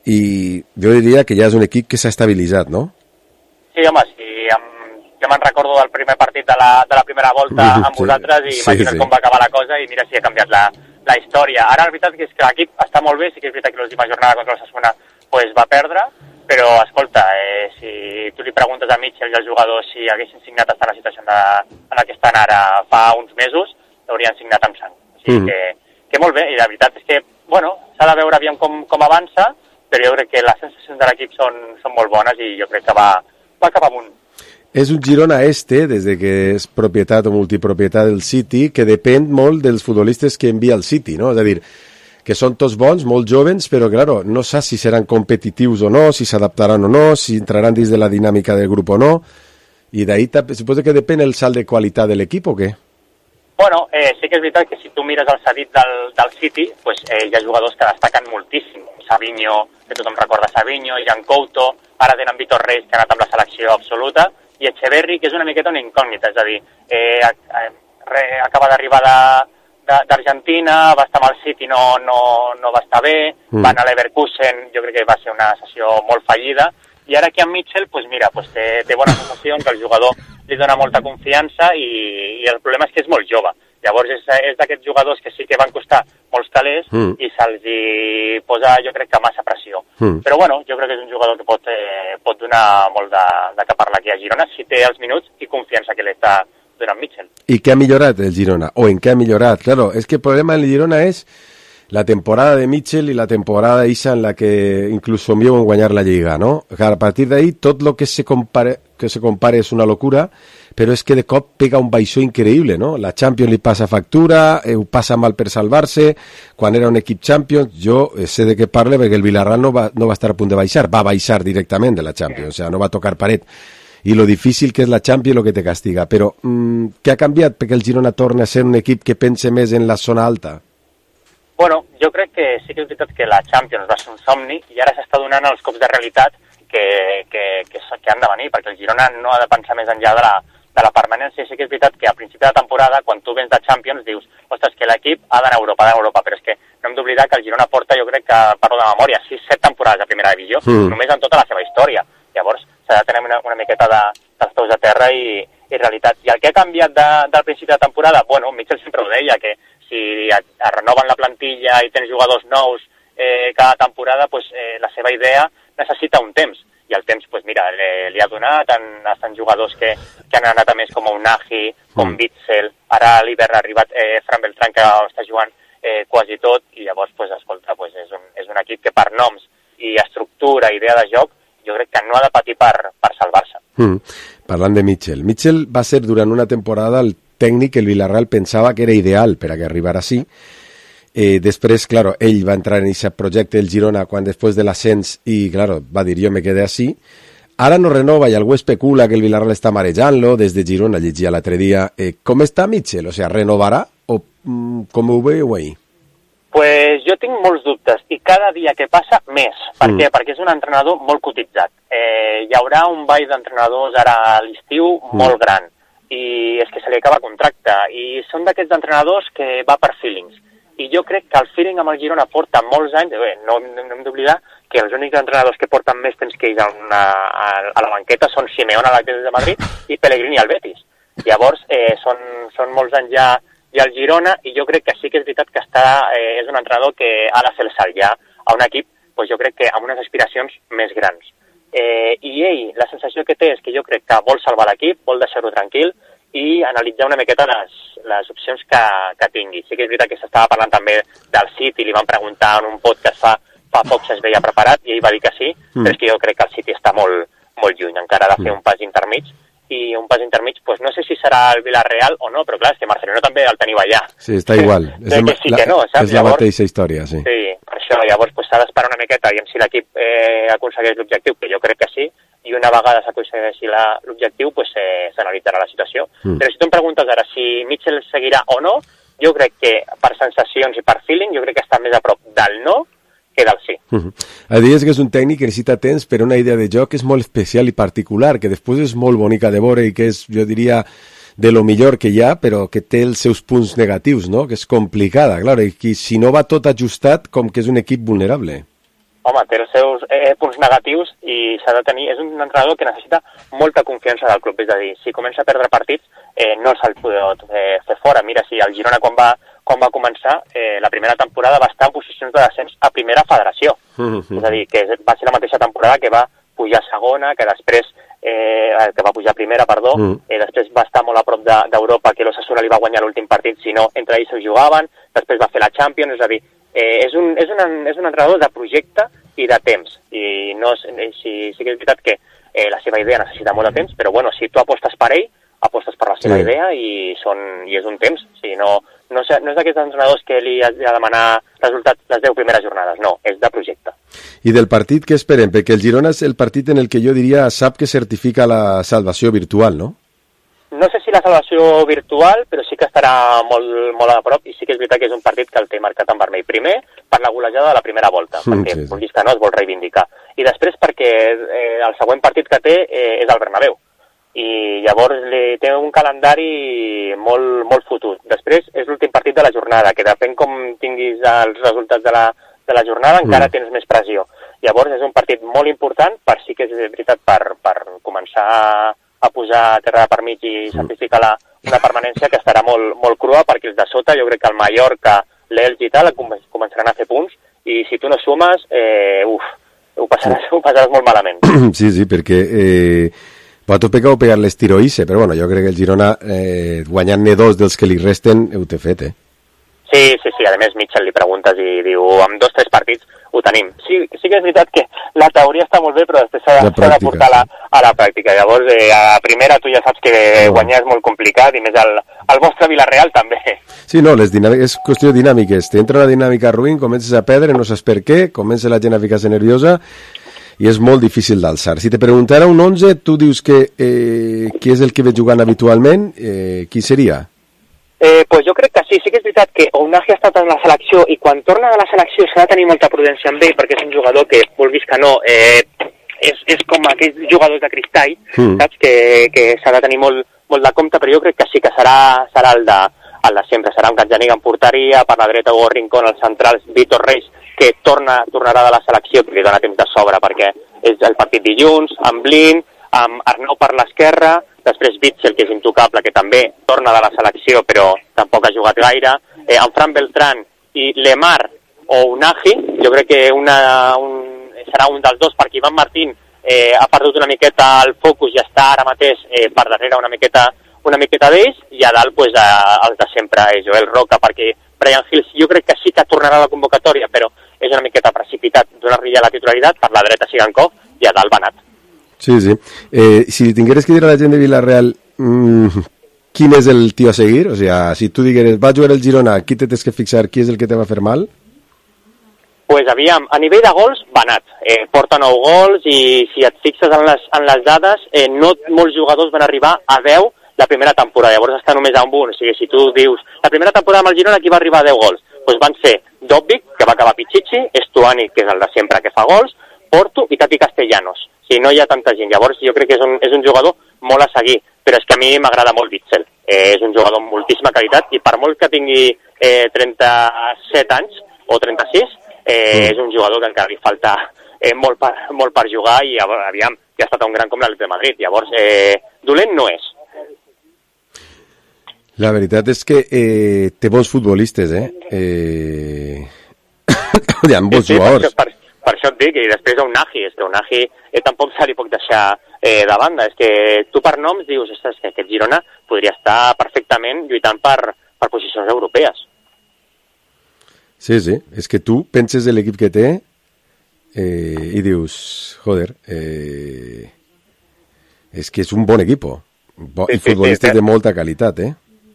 [SPEAKER 1] i jo diria que ja és un equip que s'ha estabilitzat, no?
[SPEAKER 20] Sí, home, jo me'n recordo del primer partit de la primera volta amb vosaltres i imagina't com va acabar la cosa i mira si ha canviat la història. Ara la veritat és que l'equip està molt bé, sí que és veritat que l'última jornada contra el Osasuna pues, va perdre, però, escolta, si tu li preguntes a Mitchell i als jugadors si haguessin signat estar en la situació en la que estan ara fa uns mesos, l'haurien signat amb sang. O sigui que molt bé, i la veritat és que, bueno, s'ha de veure aviam com avança, però jo crec que les sensacions de l'equip són molt bones i jo crec que va cap amunt.
[SPEAKER 1] És un Girona des de que és propietat o multipropietat del City, que depèn molt dels futbolistes que envia el City, no? És a dir, que són tots bons, molt jovens, però claro, no saps si seran competitius o no, si s'adaptaran o no, si entraran dins de la dinàmica del grup o no, i d'ahí suposo que depèn el salt de qualitat de l'equip o què?
[SPEAKER 20] Bueno, sí que és veritat que si tu mires el cedit del City, pues, hi ha jugadors que destaquen moltíssim. Savinho, que tothom recorda Savinho, Jan Couto, ara tenen Vitor Reis, que ha anat amb la selecció absoluta, i Echeverri, que és una miqueta una incògnita, és a dir, acaba d'arribar d'Argentina, va estar amb el City, no va estar bé, va anar a l'Leverkusen, jo crec que va ser una sessió molt fallida, i ara aquí amb Mitchell, pues mira, pues té bones sensacions, que el jugador li dona molta confiança i el problema és que és molt jove. Llavors és d'aquests jugadors que sí que van costar molts calés i se'ls hi posa, jo crec que massa pressió. Però bueno, jo crec que és un jugador que pot donar molt de que parlar aquí a Girona si té els minuts i confiança que l'està donant Mitchell.
[SPEAKER 1] ¿Y qué ha mejorado el Girona? ¿O en qué ha mejorado? Claro, es que el problema del Girona es la temporada de Mitchell y la temporada Isa en la que incluso envió en guanyar la Lliga, ¿no? A partir de ahí, todo lo que se compare es una locura, pero es que de cop pega un baixó increíble, ¿no? La Champions li passa factura, ho passa mal per salvar-se, quan era un equip Champions, jo sé de què parle perquè el Villarreal no va estar a punt de baixar, va baixar directament de la Champions, o sea, no va tocar paret. Y lo difícil que es la Champions lo que te castiga. Però què ha canviat perquè el Girona torni a ser un equip que pense més en la zona alta?
[SPEAKER 20] Bueno, jo crec que sí que és veritat que la Champions va ser un somni i ara s'està donant els cops de realitat que han de venir, perquè el Girona no ha de pensar més enllà de la permanència. Sí que és veritat que a principi de temporada, quan tu vens de Champions, dius, ostres, que l'equip ha d'anar a Europa, però és que no hem d'oblidar que el Girona porta, jo crec que parlo de memòria, 6-7 temporades de primera divisió, només en tota la seva història. Llavors, s'ha de tenir una miqueta dels peus a terra i realitat. I el que ha canviat del principi de temporada, bueno, Mitchell sempre ho deia, que si es renoven la plantilla i tens jugadors nous cada temporada, pues, la seva idea necessita un temps. I el temps, pues, mira, li ha donat, estan jugadors que han anat a més com Unagi, com Witzel, ara a l'hivern ha arribat Fran Beltrán, que està jugant quasi tot, i llavors, pues, escolta, pues, és un equip que per noms i estructura, idea de joc, jo crec que no ha de patir per salvar-se.
[SPEAKER 1] Parlant de Mitchell. Mitchell va ser durant una temporada el tècnic que el Villarreal pensava que era ideal per a que arribara així. Després, claro, ell va entrar en aquest projecte del Girona quan després de l'ascens i, claro, va dir jo me quedé així. Ara no renova i algú especula que el Villarreal està marejant-lo. Des de Girona llegia l'altre dia. Com està Mitchell? O sea, renovarà o com ho veieu ahí?
[SPEAKER 20] Pues jo tinc molts dubtes i cada dia que passa més. Per què? Perquè és un entrenador molt cotitzat. Hi haurà un ball d'entrenadors ara a l'estiu molt gran i és que se li acaba contracte i són d'aquests entrenadors que va per feelings. I jo crec que el feeling amb el Girona porta molts anys, no hem d'oblidar que els únics entrenadors que porten més temps que ells a la banqueta són Simeone a l'Atlètic de Madrid i Pellegrini al Betis. Llavors són molts anys ja al Girona i jo crec que sí que és veritat que és un entrenador que ha de fer el salt ja a un equip, doncs jo crec que amb unes aspiracions més grans. I ell, la sensació que té és que jo crec que vol salvar l'equip, vol deixar-ho tranquil i analitzar una miqueta les opcions que tingui. Sí que és veritat que s'estava parlant també del City, li van preguntar en un podcast fa poc si es veia preparat i ell va dir que sí, però és que jo crec que el City està molt, molt lluny, encara ha de fer un pas intermig i un pas intermig, pues no sé si serà el Villarreal o no, però clar, és que Marcelino també el teniu allà.
[SPEAKER 1] Sí, està igual. És la mateixa història, sí.
[SPEAKER 20] Sí, per això, llavors s'ha d'esperar una miqueta i si l'equip aconsegueix l'objectiu, que jo crec que sí, i una vegada s'aconsegueixi l'objectiu, pues s'analitzarà la situació. Però si tu em preguntes ara si Mitchell seguirà o no, jo crec que per sensacions i per feeling, jo crec que està més a prop del no que del sí.
[SPEAKER 1] Dius que és un tècnic que necessita temps, però una idea de joc és molt especial i particular, que després és molt bonica de veure i que és, jo diria, de lo millor que hi ha, però que té els seus punts negatius, no? Que és complicada, claro, i que si no va tot ajustat, com que és un equip vulnerable.
[SPEAKER 20] Home, té els seus punts negatius i s'ha de tenir... És un entrenador que necessita molta confiança del club, és a dir, si comença a perdre partits, no se'l pot fer fora. Mira, si el Girona quan va començar, la primera temporada va estar en posicions de descens a primera federació. És a dir, que va ser la mateixa temporada que va pujar a segona, que després que va pujar a primera, després va estar molt a prop d'Europa, que l'Osasuna li va guanyar l'últim partit, si no, entre ells ho jugaven, després va fer la Champions, és a dir, és un entrenador de projecte i de temps, i sí que és veritat que la seva idea necessita molt de temps, però bueno, si tu apostes per ell, apostes per la seva idea i és un temps. Sí, no és d'aquests entrenadors que li has de demanar resultats les 10 primeres jornades, no, és de projecte.
[SPEAKER 1] I del partit què esperem? Perquè el Girona és el partit en el que jo diria sap que certifica la salvació virtual, no?
[SPEAKER 20] No sé si la salvació virtual, però sí que estarà molt a prop i sí que és veritat que és un partit que el té marcat en vermell. Primer, per la golejada de la primera volta, perquè vulguis que no es vol reivindicar. I després perquè el següent partit que té és el Bernabéu. I llavors té un calendari molt fotut. Després és l'últim partit de la jornada, que depèn com tinguis els resultats de la jornada, encara tens més pressió. Llavors és un partit molt important, per sí que és veritat per començar a posar terra per mig i certificar una permanència que estarà molt crua, perquè els de sota, jo crec que el Mallorca, l'Elx i tal, començaran a fer punts, i si tu no sumes, ho passaràs molt malament.
[SPEAKER 1] Sí, perquè pot pegar l'estiroïsse, però bueno, jo crec que el Girona, guanyant-ne 2 dels que li resten, ho té fet,
[SPEAKER 20] Sí, a més Mitchell li preguntes i diu, amb 2 o 3 partits ho tenim. Sí que és veritat que la teoria està molt bé, però després s'ha de portar a la pràctica. Llavors, a primera tu ja saps que guanyar és molt complicat, i més el vostre Villarreal també.
[SPEAKER 1] Sí, no, és qüestió de dinàmiques. T'entra una dinàmica ruïn, comences a perdre, no saps per què, comença la gent a ficar-se nerviosa, i és molt difícil d'alçar. Si te preguntara un 11, tu dius que qui és el que ve jugant habitualment, qui seria?
[SPEAKER 20] Pues jo crec que sí que és veritat que Ounahi ha estat en la selecció, i quan torna de la selecció s'ha de tenir molta prudència amb ell, perquè és un jugador que, vulguis que no, és com aquells jugadors de cristall, saps? Que s'ha de tenir molt de compte, però jo crec que sí que serà el de sempre. Serà un Gazzaniga en porteria, per la dreta Hugo Rincón, als centrals Vítor Reis, que tornarà de la selecció, que li dona temps de sobre, perquè és el partit dilluns, amb Blin, amb Arnau per l'esquerra, després Witsel, que és intocable, que també torna de la selecció, però tampoc ha jugat gaire, amb Fran Beltrán i Lemar o Ounahi, jo crec que serà un dels dos, perquè Ivan Martín ha perdut una miqueta el focus i està ara mateix per darrere una miqueta d'ells, i a dalt pues, els de sempre, Joel Roca, perquè Brian Hills jo crec que sí que tornarà a la convocatòria, però és una miqueta precipitat donar-li ja la titularitat, per la dreta Sigankov i a dalt Banat.
[SPEAKER 1] Sí. Si tingueres que dir a la gent de Villarreal quin és el tio a seguir, o sea, si tu digueres va jugar el Girona, aquí te tens que fixar qui és el que te va fer mal?
[SPEAKER 20] Pues aviam, a nivell de gols, Banat. Porta 9 gols, i si et fixes en les dades, no molts jugadors van arribar a 10 la primera temporada, llavors està només a un. O sigui, si tu dius, la primera temporada amb el Girona, qui va arribar a 10 gols? Pues van ser Dobbik, que va acabar Pichichi, Estuani, que és el de sempre que fa gols, Porto i Tati Castellanos. Si no hi ha tanta gent, llavors jo crec que és un jugador molt a seguir, però és que a mi m'agrada molt Witsel. És un jugador amb moltíssima qualitat, i per molt que tingui 37 anys o 36, és un jugador que encara li falta molt per jugar, i aviam, ja ha estat un gran com l'Atlètic de Madrid. Llavors, dolent no és.
[SPEAKER 1] La veritat és que té bons futbolistes, hi ha bons jugadors.
[SPEAKER 20] Per això et dic, i després Ounahi, és que Ounahi tampoc se li pot deixar de banda. És que tu per noms dius, és que aquest Girona podria estar perfectament lluitant per posicions europees.
[SPEAKER 1] Sí, és que tu penses de l'equip que té i dius, joder, és que és un bon equip, i futbolistes de molta qualitat,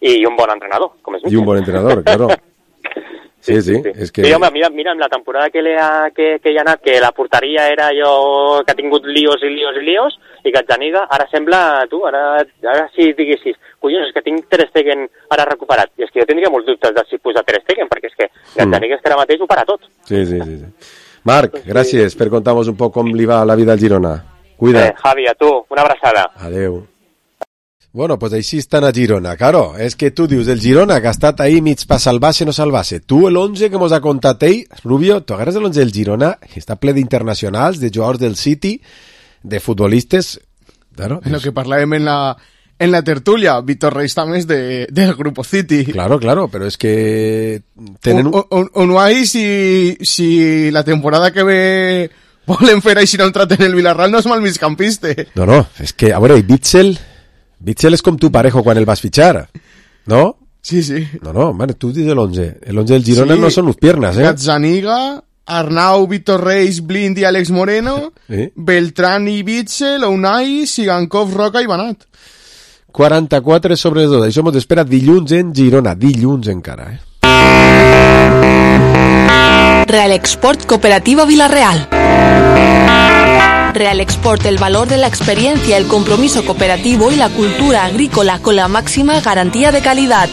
[SPEAKER 20] I un bon entrenador, com és Mitchell.
[SPEAKER 1] I un bon entrenador, claro. Sí, és que...
[SPEAKER 20] Sí, home, mira, amb la temporada que hi ha anat, que la porteria era allò que ha tingut líos, i Gazzaniga, ara sembla, ara si diguessis, collons, és que tinc Ter Stegen ara recuperat, i és que jo tindria molts dubtes de si posar Ter Stegen, perquè és que Gazzaniga és que ara mateix ho para tot.
[SPEAKER 1] Sí. Marc, gràcies per contar-nos un poc com li va la vida al Girona. Cuida't.
[SPEAKER 20] Javi, a tu, una abraçada.
[SPEAKER 1] Adeu. Bueno, pues així estan a Girona, claro, és que tu dius el Girona que ha estat ahí mig pa salvar-se no salvar-se. Tu l'11 que mos ha contat ell, Rubio, tu agarres l'11 del Girona, que està ple d'internacionals, de jugadors del City, de futbolistes... Claro,
[SPEAKER 6] lo que parlàvem en la tertulia, Vítor Reis també és del Grupo City.
[SPEAKER 1] Claro, però és que... tenen
[SPEAKER 6] Ounahi, si la temporada que ve volen fer així un trat en el Villarreal, no és mal migcampista.
[SPEAKER 1] No, és que, a veure, Witsel és com tu parejo quan el vas fitxar, ¿no?
[SPEAKER 6] Sí.
[SPEAKER 1] No, man, tu dius l'11. El 11 del Girona no són les piernas,
[SPEAKER 6] Gazzaniga, Arnau, Vítor Reis, Blind i Àlex Moreno, Beltrán i Witsel, Ounahi, Sigankov, Roca i Banat.
[SPEAKER 1] 44 sobre 2. Això mos espera dilluns en Girona. Dilluns encara,
[SPEAKER 14] Real Export Cooperativa Villarreal. Real Export, el valor de la experiencia, el compromiso cooperativo y la cultura agrícola con la máxima garantía de calidad.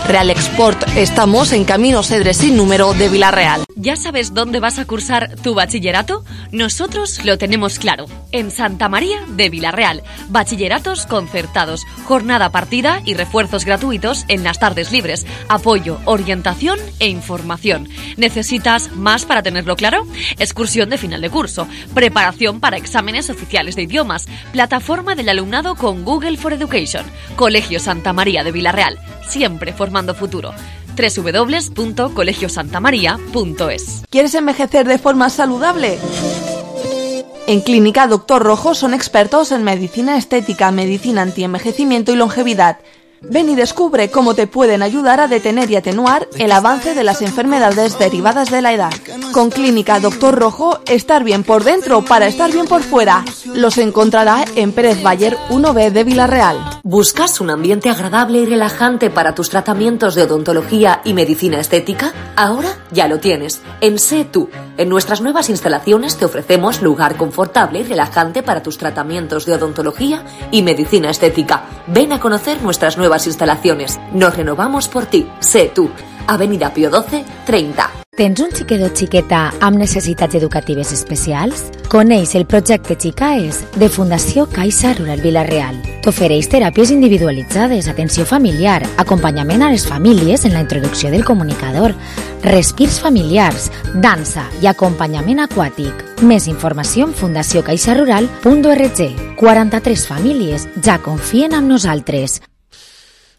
[SPEAKER 14] Real Export, estamos en Camino Cedres sin número de Villarreal.
[SPEAKER 9] ¿Ya sabes dónde vas a cursar tu bachillerato? Nosotros lo tenemos claro. En Santa María de Vilarreal. Bachilleratos concertados, jornada partida y refuerzos gratuitos en las tardes libres. Apoyo, orientación e información. ¿Necesitas más para tenerlo claro? Excursión de final de curso. Preparación para exámenes oficiales de idiomas. Plataforma del alumnado con Google for Education. Colegio Santa María de Vilarreal. Siempre formando futuro. www.colegiosantamaria.es.
[SPEAKER 21] ¿Quieres envejecer de forma saludable? En Clínica Doctor Rojo son expertos en medicina estética, medicina antienvejecimiento y longevidad. Ven y descubre cómo te pueden ayudar a detener y atenuar el avance de las enfermedades derivadas de la edad. Con Clínica Doctor Rojo, estar bien por dentro para estar bien por fuera. Los encontrará en Pérez Bayer 1B de Vilarreal.
[SPEAKER 22] ¿Buscas un ambiente agradable y relajante para tus tratamientos de odontología y medicina estética? Ahora ya lo tienes. En Sé Tú. En nuestras nuevas instalaciones te ofrecemos lugar confortable y relajante para tus tratamientos de odontología y medicina estética. Ven a conocer nuestras nuevas instalaciones. Nos renovamos por ti. Sé Tú. Avenida Pío XII, 30.
[SPEAKER 17] Tens un xiquet o xiqueta amb necessitats educatives especials? Coneix el projecte Xicaes de Fundació Caixa Rural Vilarreal. T'ofereix teràpies individualitzades, atenció familiar, acompanyament a les famílies en la introducció del comunicador, respirs familiars, dansa i acompanyament aquàtic. Més informació en fundaciocaixarural.org. 43 famílies ja confien en nosaltres.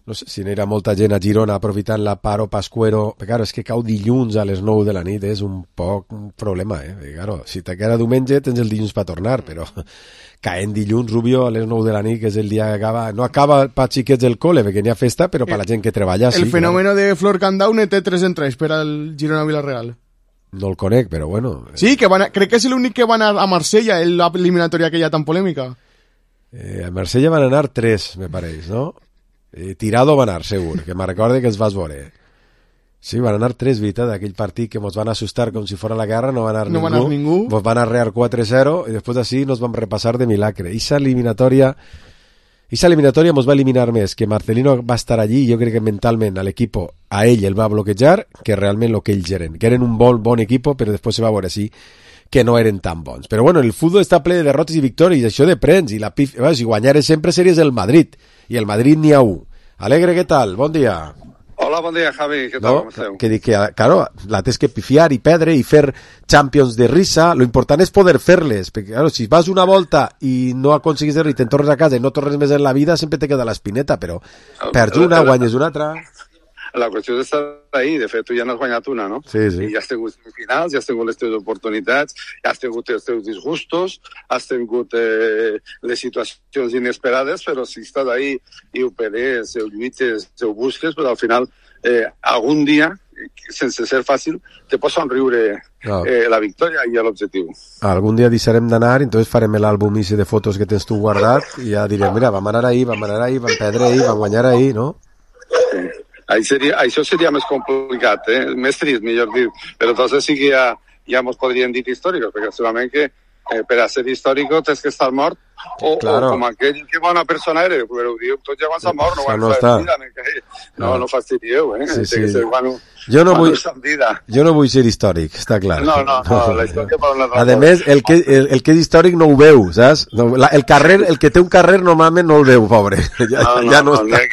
[SPEAKER 1] No sé si n'era molta gent a Girona aprofitant la paro pascuero. Però, claro, és que cau dilluns a les 9 de la nit, és un poc un problema, Perquè, claro, si te queda diumenge tens el dilluns per tornar, però caent dilluns, Rubio, a les 9 de la nit, que és el dia que acaba... No acaba per xiquets del col·le, perquè n'hi ha festa, però per la gent que treballa, sí.
[SPEAKER 6] El fenòmeno de Flor Candaune té 3 entrades per al Girona-Vilarreal.
[SPEAKER 1] No el conec, però bueno...
[SPEAKER 6] Sí, que crec que és l'únic que van a Marsella, en l'eliminatòria aquella tan polèmica.
[SPEAKER 1] A Marsella van anar 3, me pareix, no? Tirado va anar, segur, que me recorde que els vas veure. Sí, van anar 3, veritat, d'aquell partit que ens van assustar com si fora la guerra, no va anar ningú. Ens van arrear 4-0 i després d'ací nos vam repassar de milagre. Esa eliminatòria ens va eliminar més, que Marcelino va estar allí i jo crec que mentalment a l'equip, a ell el va bloquejar, que realment el que ells eren. Que eren un bon equip, però després se va veure així que no eren tan bons. Però bueno, el futbol està ple de derrotes i victòries, i això depèn, i la pif... si guanyares sempre series el Madrid, i el Madrid n'hi ha un. Alegre, què tal? Bon dia.
[SPEAKER 23] Hola, bon dia, Javi. Què tal? Com esteu?
[SPEAKER 1] Que dic que, claro, la tens que pifiar i perdre i fer Champions de risa. Lo important és poder fer-les, perquè, claro, si vas una volta i no aconseguis res i te'n tornes a casa i no tornes més en la vida, sempre te queda l'espineta, però perds una, guanyes una altra...
[SPEAKER 23] La qüestió és estar ahí. De fet, tu ja n'has guanyat una, no?
[SPEAKER 1] Sí.
[SPEAKER 23] I ja has tingut finals, ja has tingut les teves oportunitats, ja has tingut els teus disgustos, has tingut les situacions inesperades, però si estàs ahí i ho peres, ho lluites, ho busques, però al final, algun dia, sense ser fàcil, te pot somriure la victòria i l'objectiu.
[SPEAKER 1] Algun dia deixarem d'anar i entonces farem l'àlbum de fotos que tens tu guardat i ja direm, mira, vam anar ahir, vam perdre ahir, vam guanyar ahir, no?
[SPEAKER 23] Sí. Això seria més complicat, més trist, millor dir, però entonces sí que ja ens podríem dir històrics, perquè segurament que per a ser històric tens que estar mort o com aquell que bona persona eres, però ho diu, tots ja van estar mort, no fastidieu,
[SPEAKER 1] Sí.
[SPEAKER 23] Que ser bueno,
[SPEAKER 1] jo no vull ser històric, està clar.
[SPEAKER 23] No, la història per una
[SPEAKER 1] a més, el que és històric no ho veu, saps? El que té un carrer normalment no el veu, pobre. Ja no està.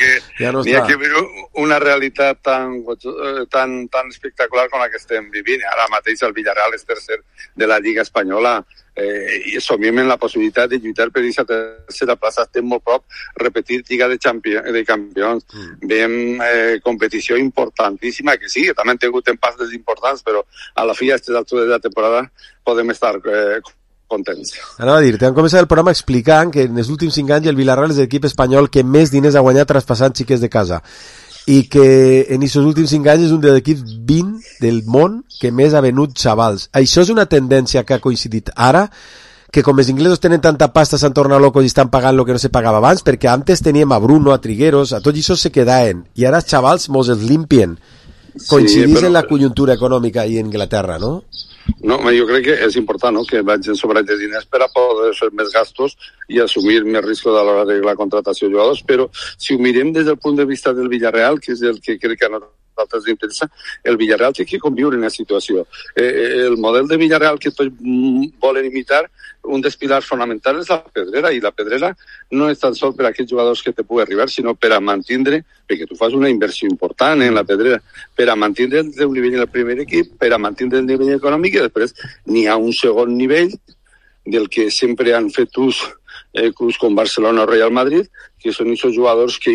[SPEAKER 23] N'hi ha que viure una realitat tan espectacular com la que estem vivint. Ara mateix el Villarreal és tercer de la Lliga Espanyola i somiem en la possibilitat de lluitar per aquesta tercera plaça. Estem molt prop, repetir Lliga de Campions. Veiem competició importantíssima, que sí, que també han tingut empasses importants, però a la fi, a aquestes altures de la temporada, podem estar contents.
[SPEAKER 1] Anava a dir, t'han començat el programa explicant que en els últims 5 anys el Villarreal és l'equip espanyol que més diners ha guanyat traspassant xiques de casa i que en aquests últims 5 anys és un dels equips 20 del món que més ha venut xavals. Això és una tendència que ha coincidit ara, que com els inglesos tenen tanta pasta s'han tornat locos i estan pagant el que no se pagava abans, perquè antes teníem a Bruno, a Trigueros, a tots això se quedaven, i ara els xavals mos els limpien. Coincidís en la conjuntura econòmica i en Inglaterra, no?
[SPEAKER 23] No, jo crec que és important, no?, que vagin sobre els diners per a poder fer més gastos i assumir més riscos a l'hora de la contratació de jugadors, però si ho mirem des del punt de vista del Villarreal, que és el que crec que ha notat nosaltres ens interessa, el Villarreal té que conviure en la situació. El model de Villarreal que tots volen imitar, un dels pilars fonamentals és la Pedrera, i la Pedrera no és tan sol per a aquells jugadors que te pugui arribar, sinó per a mantindre, perquè tu fas una inversió important en la Pedrera, per a mantindre el teu nivell en el primer equip, per a mantindre el nivell econòmic, i després n'hi ha un segon nivell del que sempre han fet ús clubs com Barcelona o Real Madrid, que són aquests jugadors que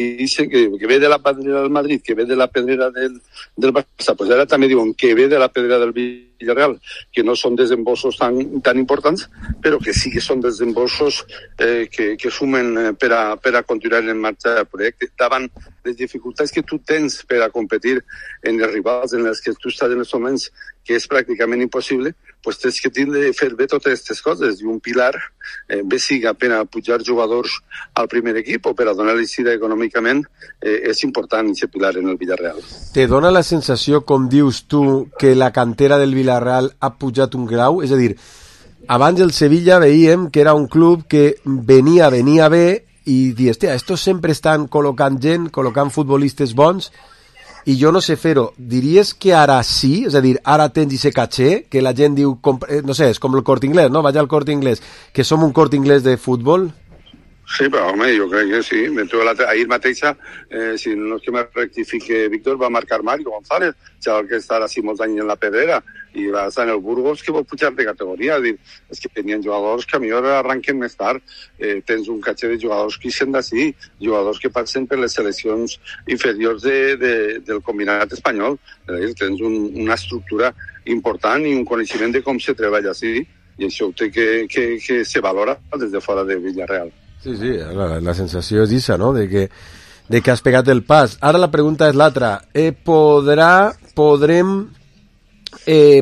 [SPEAKER 23] ve de la Pedrera del Madrid, que ve de la Pedrera del Barça, pues ara també diuen que ve de la Pedrera del Villarreal, que no són desembolsos tan importants, però que sí que són desembolsos que sumen per a continuar en marxa el projecte. Davant les dificultats que tu tens per a competir en els rivals en els que tu estàs en els moments, que és pràcticament impossible, pues tens que tindre fer bé totes aquestes coses, i un pilar bé siga per a pujar jugadors al primer equip o per a donar l'eixida econòmicament, és important aquest pilar en el Villarreal.
[SPEAKER 1] Te dona la sensació, com dius tu, que la cantera del Villarreal ha pujat un grau? És a dir, abans el Sevilla veiem que era un club que venia bé i dius, hòstia, estos sempre estan col·locant gent, col·locant futbolistes bons, i jo no sé fer-ho. Diries que ara sí? És a dir, ara tens aquest caché, que la gent diu, no sé, és com el Corte Inglés, no? Vaig al Corte Inglés, que som un Corte Inglés de futbol?
[SPEAKER 23] Sí, però home, jo crec que sí. Ahir mateixa, si no és que me rectifique Víctor, va marcar Mario González, xaval que estarà així molts anys en la Pedrera, i va estar en el Burgos, que vol pujar de categoria. És que tenien jugadors que a millor arranquen més tard. Tens un caché de jugadors que ixen d'ací, jugadors que passen per les seleccions inferiors del combinat espanyol. Tens una estructura important i un coneixement de com se treballa així, i això té que se valora des de fora de Villarreal.
[SPEAKER 1] Sí, la sensació és aquesta, no?, de que has pegat el pas. Ara la pregunta és l'altra. Podrem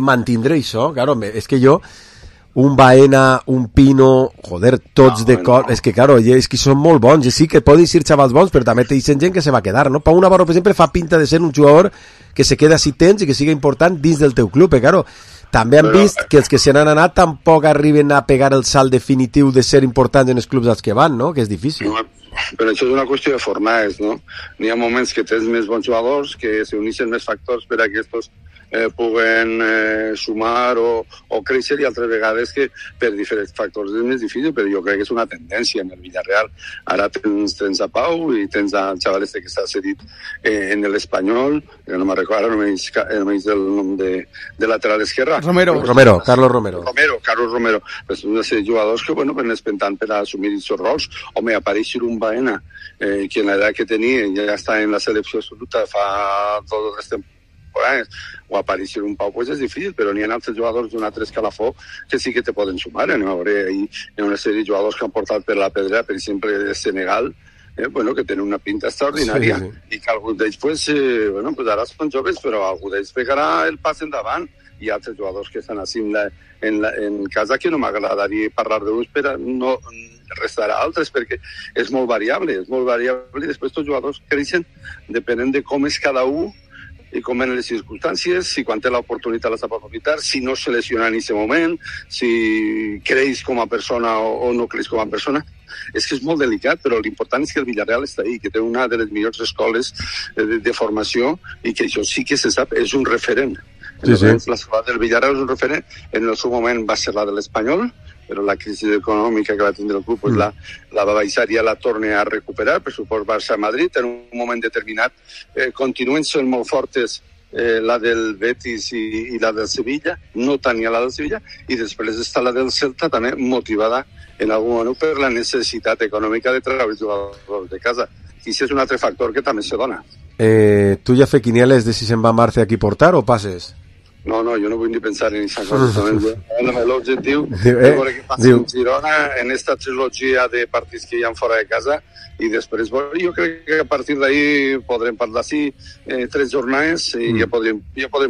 [SPEAKER 1] mantindre això? Claro, és que jo, un Baena, un Pino, joder, tots de cor... És que, claro, és que són molt bons, i sí que poden ser xavals bons, però també t'hi gent que se va quedar, no? Pau Navarro, per exemple, fa pinta de ser un jugador que se queda si tens i que siga important dins del teu club, claro. També han vist que els que se n'han anat tampoc arriben a pegar el salt definitiu de ser importants en els clubs als que van, no? Que és difícil.
[SPEAKER 23] No, però això és una qüestió de formades, no? N'hi ha moments que tens més bons jugadors, que s'uneixen més factors per a que estos puguen sumar o créixer, i altres vegades que per diferents factors és més difícil, però jo crec que és una tendència en el Villarreal. Ara tens a Pau i tens el xaval que està cedit en l'Espanyol, que no me'n recordo, no me dic el nom de lateral esquerra.
[SPEAKER 1] Carlos Romero.
[SPEAKER 23] Pues una sèrie de jugadors que, bueno, van espentant per assumir aquests rols. Home, apareix un Baena, que en l'edat que tenia ja està en la selecció absoluta fa 2 o 3 temporades, o aparèixer un Pau, pues és difícil, però n'hi ha altres jugadors d'un altre escalafó que sí que te poden sumar. Anem a veure, hi ha una sèrie de jugadors que han portat per la Pedra, per exemple, de Senegal, que tenen una pinta extraordinària, i que alguns d'ells, pues ara són joves, però algú d'ells pegarà el pas endavant. Hi ha altres jugadors que estan així en casa, que no m'agradaria parlar d'ells, però no restarà altres, perquè és molt variable, i després tots jugadors creixen depenent de com és cada un i com en les circumstàncies, si quan té l'oportunitat la sap aprofitar, si no se lesiona en aquest moment, si creix com a persona o no creix com a persona. És que és molt delicat, però l'important és que el Villarreal està ahí, que té una de les millors escoles de formació, i que això sí que se sap, és un referent. L'escola del Villarreal és un referent. En el seu moment va ser la de l'Espanyol, però la crisi econòmica que va tindre el club pues la va baixar i ja la torna a recuperar, per suport Barça-Madrid, en un moment determinat. Continuen sent molt fortes la del Betis i la del Sevilla, no tant ni la del Sevilla, i després està la del Celta, també motivada en algun moment per la necessitat econòmica de treure els jugadors de casa. I això és un altre factor que també se dona.
[SPEAKER 1] Tu ja fer quinieles de si se'n va Marce aquí portar o passes?
[SPEAKER 23] No, jo no vull ni pensar en aquesta cosa. L'objectiu és veure què passa en Girona en aquesta trilogia de partits que hi ha fora de casa, i després jo crec que a partir d'ahir podrem parlar 3 jornades i ja podrem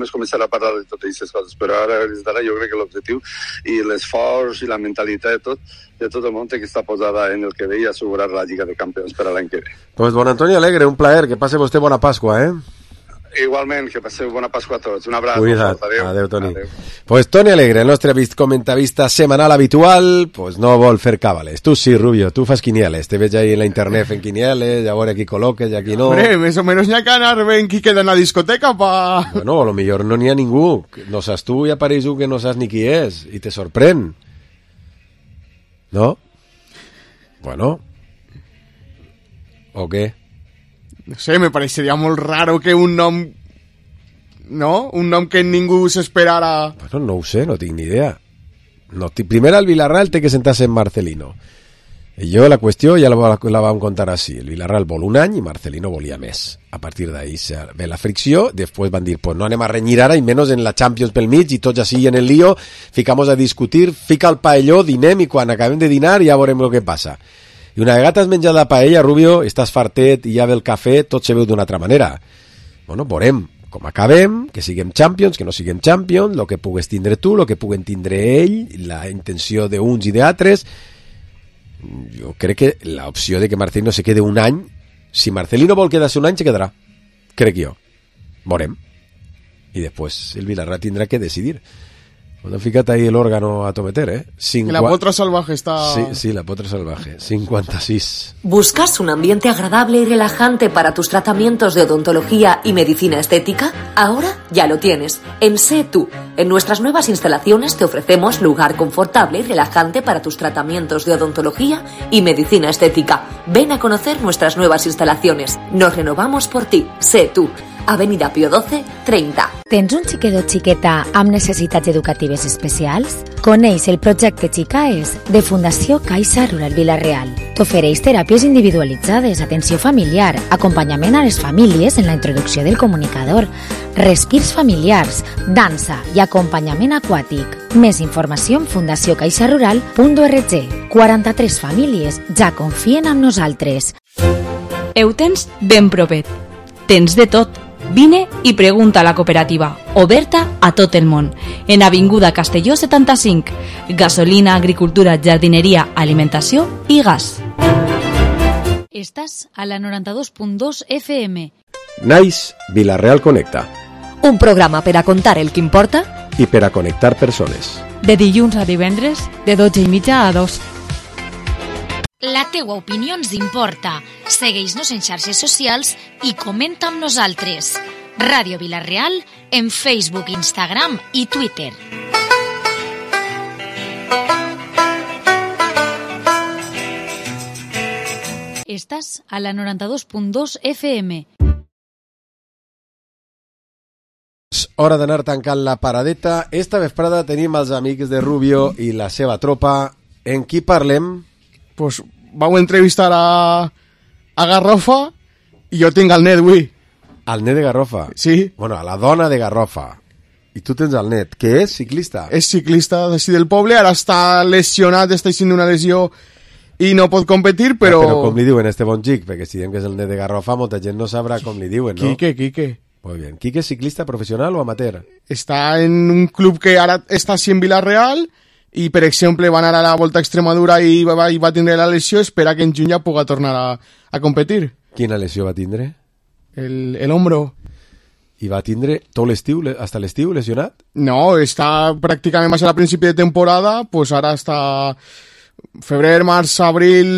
[SPEAKER 23] començar a parlar de totes aquestes coses, però ara jo crec que l'objectiu i l'esforç i la mentalitat de tot el món que està posada en el que ve i assegurar la Lliga de Campions per a l'any que ve.
[SPEAKER 1] Pues bon Antoni Alegre, un plaer, que passe vostè bona Pasqua,
[SPEAKER 23] Igualment, que passeu bona Pasqua a tots. Un abraç.
[SPEAKER 1] Cuida't.
[SPEAKER 23] Adéu.
[SPEAKER 1] Adéu, Toni. Adéu. Pues Toni Alegre, el nostre comentarista setmanal habitual, pues no vol fer càbales. Tu sí, Rubio, tu fas quinieles. Te veig ahí en la internet fent quinieles, a veure qui col·loques i aquí no.
[SPEAKER 6] Hombre, més o menos n'hi ha que anar ben qui queda en la discoteca pa...
[SPEAKER 1] Bueno, a lo millor no n'hi ha ningú. No saps tu i apareix un que no saps ni qui és i te sorprèn. ¿No? Bueno. ¿O qué?
[SPEAKER 6] No sé, me parecería molt raro que un nom... No? Un nom que ningú s'esperara...
[SPEAKER 1] Bueno, no ho sé, no tinc ni idea. No, primer el Villarreal té que sentar-se en Marcelino. I jo la qüestió ja la vam contar així. El Villarreal vol un any i Marcelino volia més. A partir d'ahí ve la fricció, després van dir, pues no anem a renyir ara, i menys en la Champions pel mig, i tots així en el lío, ficamos a discutir, fica el paelló, dinem, i quan acabem de dinar ja veurem el que passa. I una vegada has menjat la paella, Rubio, estàs fartet i ja ve el cafè, tot se veu d'una altra manera. Bueno, veurem com acabem, que siguem Champions, que no siguem Champions, el que pugues tindre tu, el que puguen tindre ell, la intenció d'uns i d'altres. Jo crec que l'opció de que Marcelino se quede un any, si Marcelino vol quedar-se un any, se quedarà. Crec jo. Veurem. I després el Villarreal tindrà que decidir. Cuando ficat ahí el órgano a tometer, ¿eh?
[SPEAKER 6] La potra salvaje está...
[SPEAKER 1] Sí, la potra salvaje. 56.
[SPEAKER 22] ¿Buscas un ambiente agradable y relajante para tus tratamientos de odontología y medicina estética? Ahora ya lo tienes. En Sé Tú. En nuestras nuevas instalaciones te ofrecemos lugar confortable y relajante para tus tratamientos de odontología y medicina estética. Ven a conocer nuestras nuevas instalaciones. Nos renovamos por ti. Sé Tú. Avenida Pío 12, 30.
[SPEAKER 17] Tens un xiquet o xiqueta amb necessitats educatives especials? Coneix el projecte Xicaes de Fundació Caixa Rural Vila-real. T'ofereix teràpies individualitzades, atenció familiar, acompanyament a les famílies en la introducció del comunicador, respirs familiars, dansa i acompanyament aquàtic. Més informació en fundaciocaixarural.org. 43 famílies ja confien en nosaltres.
[SPEAKER 3] Ho tens ben propet. Tens de tot. Vine i pregunta a la cooperativa, oberta a tot el món, en Avinguda Castelló 75, gasolina, agricultura, jardineria, alimentació i gas.
[SPEAKER 15] Estàs a la 92.2 FM.
[SPEAKER 1] Nice Villarreal Connecta.
[SPEAKER 9] Un programa per a contar el que importa
[SPEAKER 1] i per a connectar persones.
[SPEAKER 3] De dilluns a divendres, de 12:30 a 2.
[SPEAKER 19] La teua opinió ens importa. Segueix-nos en xarxes socials i comenta amb nosaltres. Ràdio Vila-real en Facebook, Instagram i Twitter.
[SPEAKER 15] Estàs a la 92.2 FM.
[SPEAKER 1] Hora d'anar tancant la paradeta. Esta vesprada tenim els amics de Rubio i la seva tropa. En qui parlem?
[SPEAKER 6] Pues vau entrevistar a Garrofa i jo tinc el net avui.
[SPEAKER 1] El net de Garrofa?
[SPEAKER 6] Sí.
[SPEAKER 1] Bueno, a la dona de Garrofa. I tu tens el net, que és ciclista?
[SPEAKER 6] És ciclista d'ací del poble, ara està lesionat, està així d'una lesió i no pot competir, però...
[SPEAKER 1] Però com li diuen este bon xic? Perquè si diem que és el net de Garrofa, molta gent no sabrà com li diuen, no?
[SPEAKER 6] Quique.
[SPEAKER 1] Muy bien. ¿Quique es ciclista profesional o amateur?
[SPEAKER 6] Està en un club que ara està així en Vila-real i, per exemple, va anar a la Volta a Extremadura i va tindre la lesió, espera que en juny ja puga tornar a competir.
[SPEAKER 1] Quina lesió va tindre?
[SPEAKER 6] El hombro.
[SPEAKER 1] I va tindre tot l'estiu, hasta l'estiu, lesionat?
[SPEAKER 6] No, està pràcticament va ser a principi de temporada, pues ara està febrer, març, abril,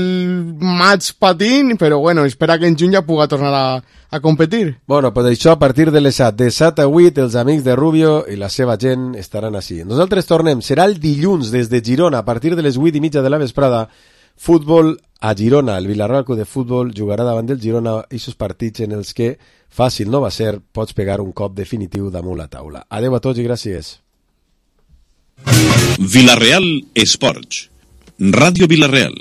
[SPEAKER 6] maig patint, però bueno, espera que en juny ja puga tornar a competir.
[SPEAKER 1] Bueno, pues això a partir de les 7, de 7 a 8, els amics de Rubio i la seva gent estaran així. Nosaltres tornem, serà el dilluns des de Girona, a partir de les 8:30 de la vesprada, futbol a Girona. El Villarreal Club de Futbol jugarà davant del Girona aquests partits en els que fàcil no va ser, pots pegar un cop definitiu damunt la taula. Adeu a tots i gràcies.
[SPEAKER 2] Villarreal Esports. Ràdio Villarreal.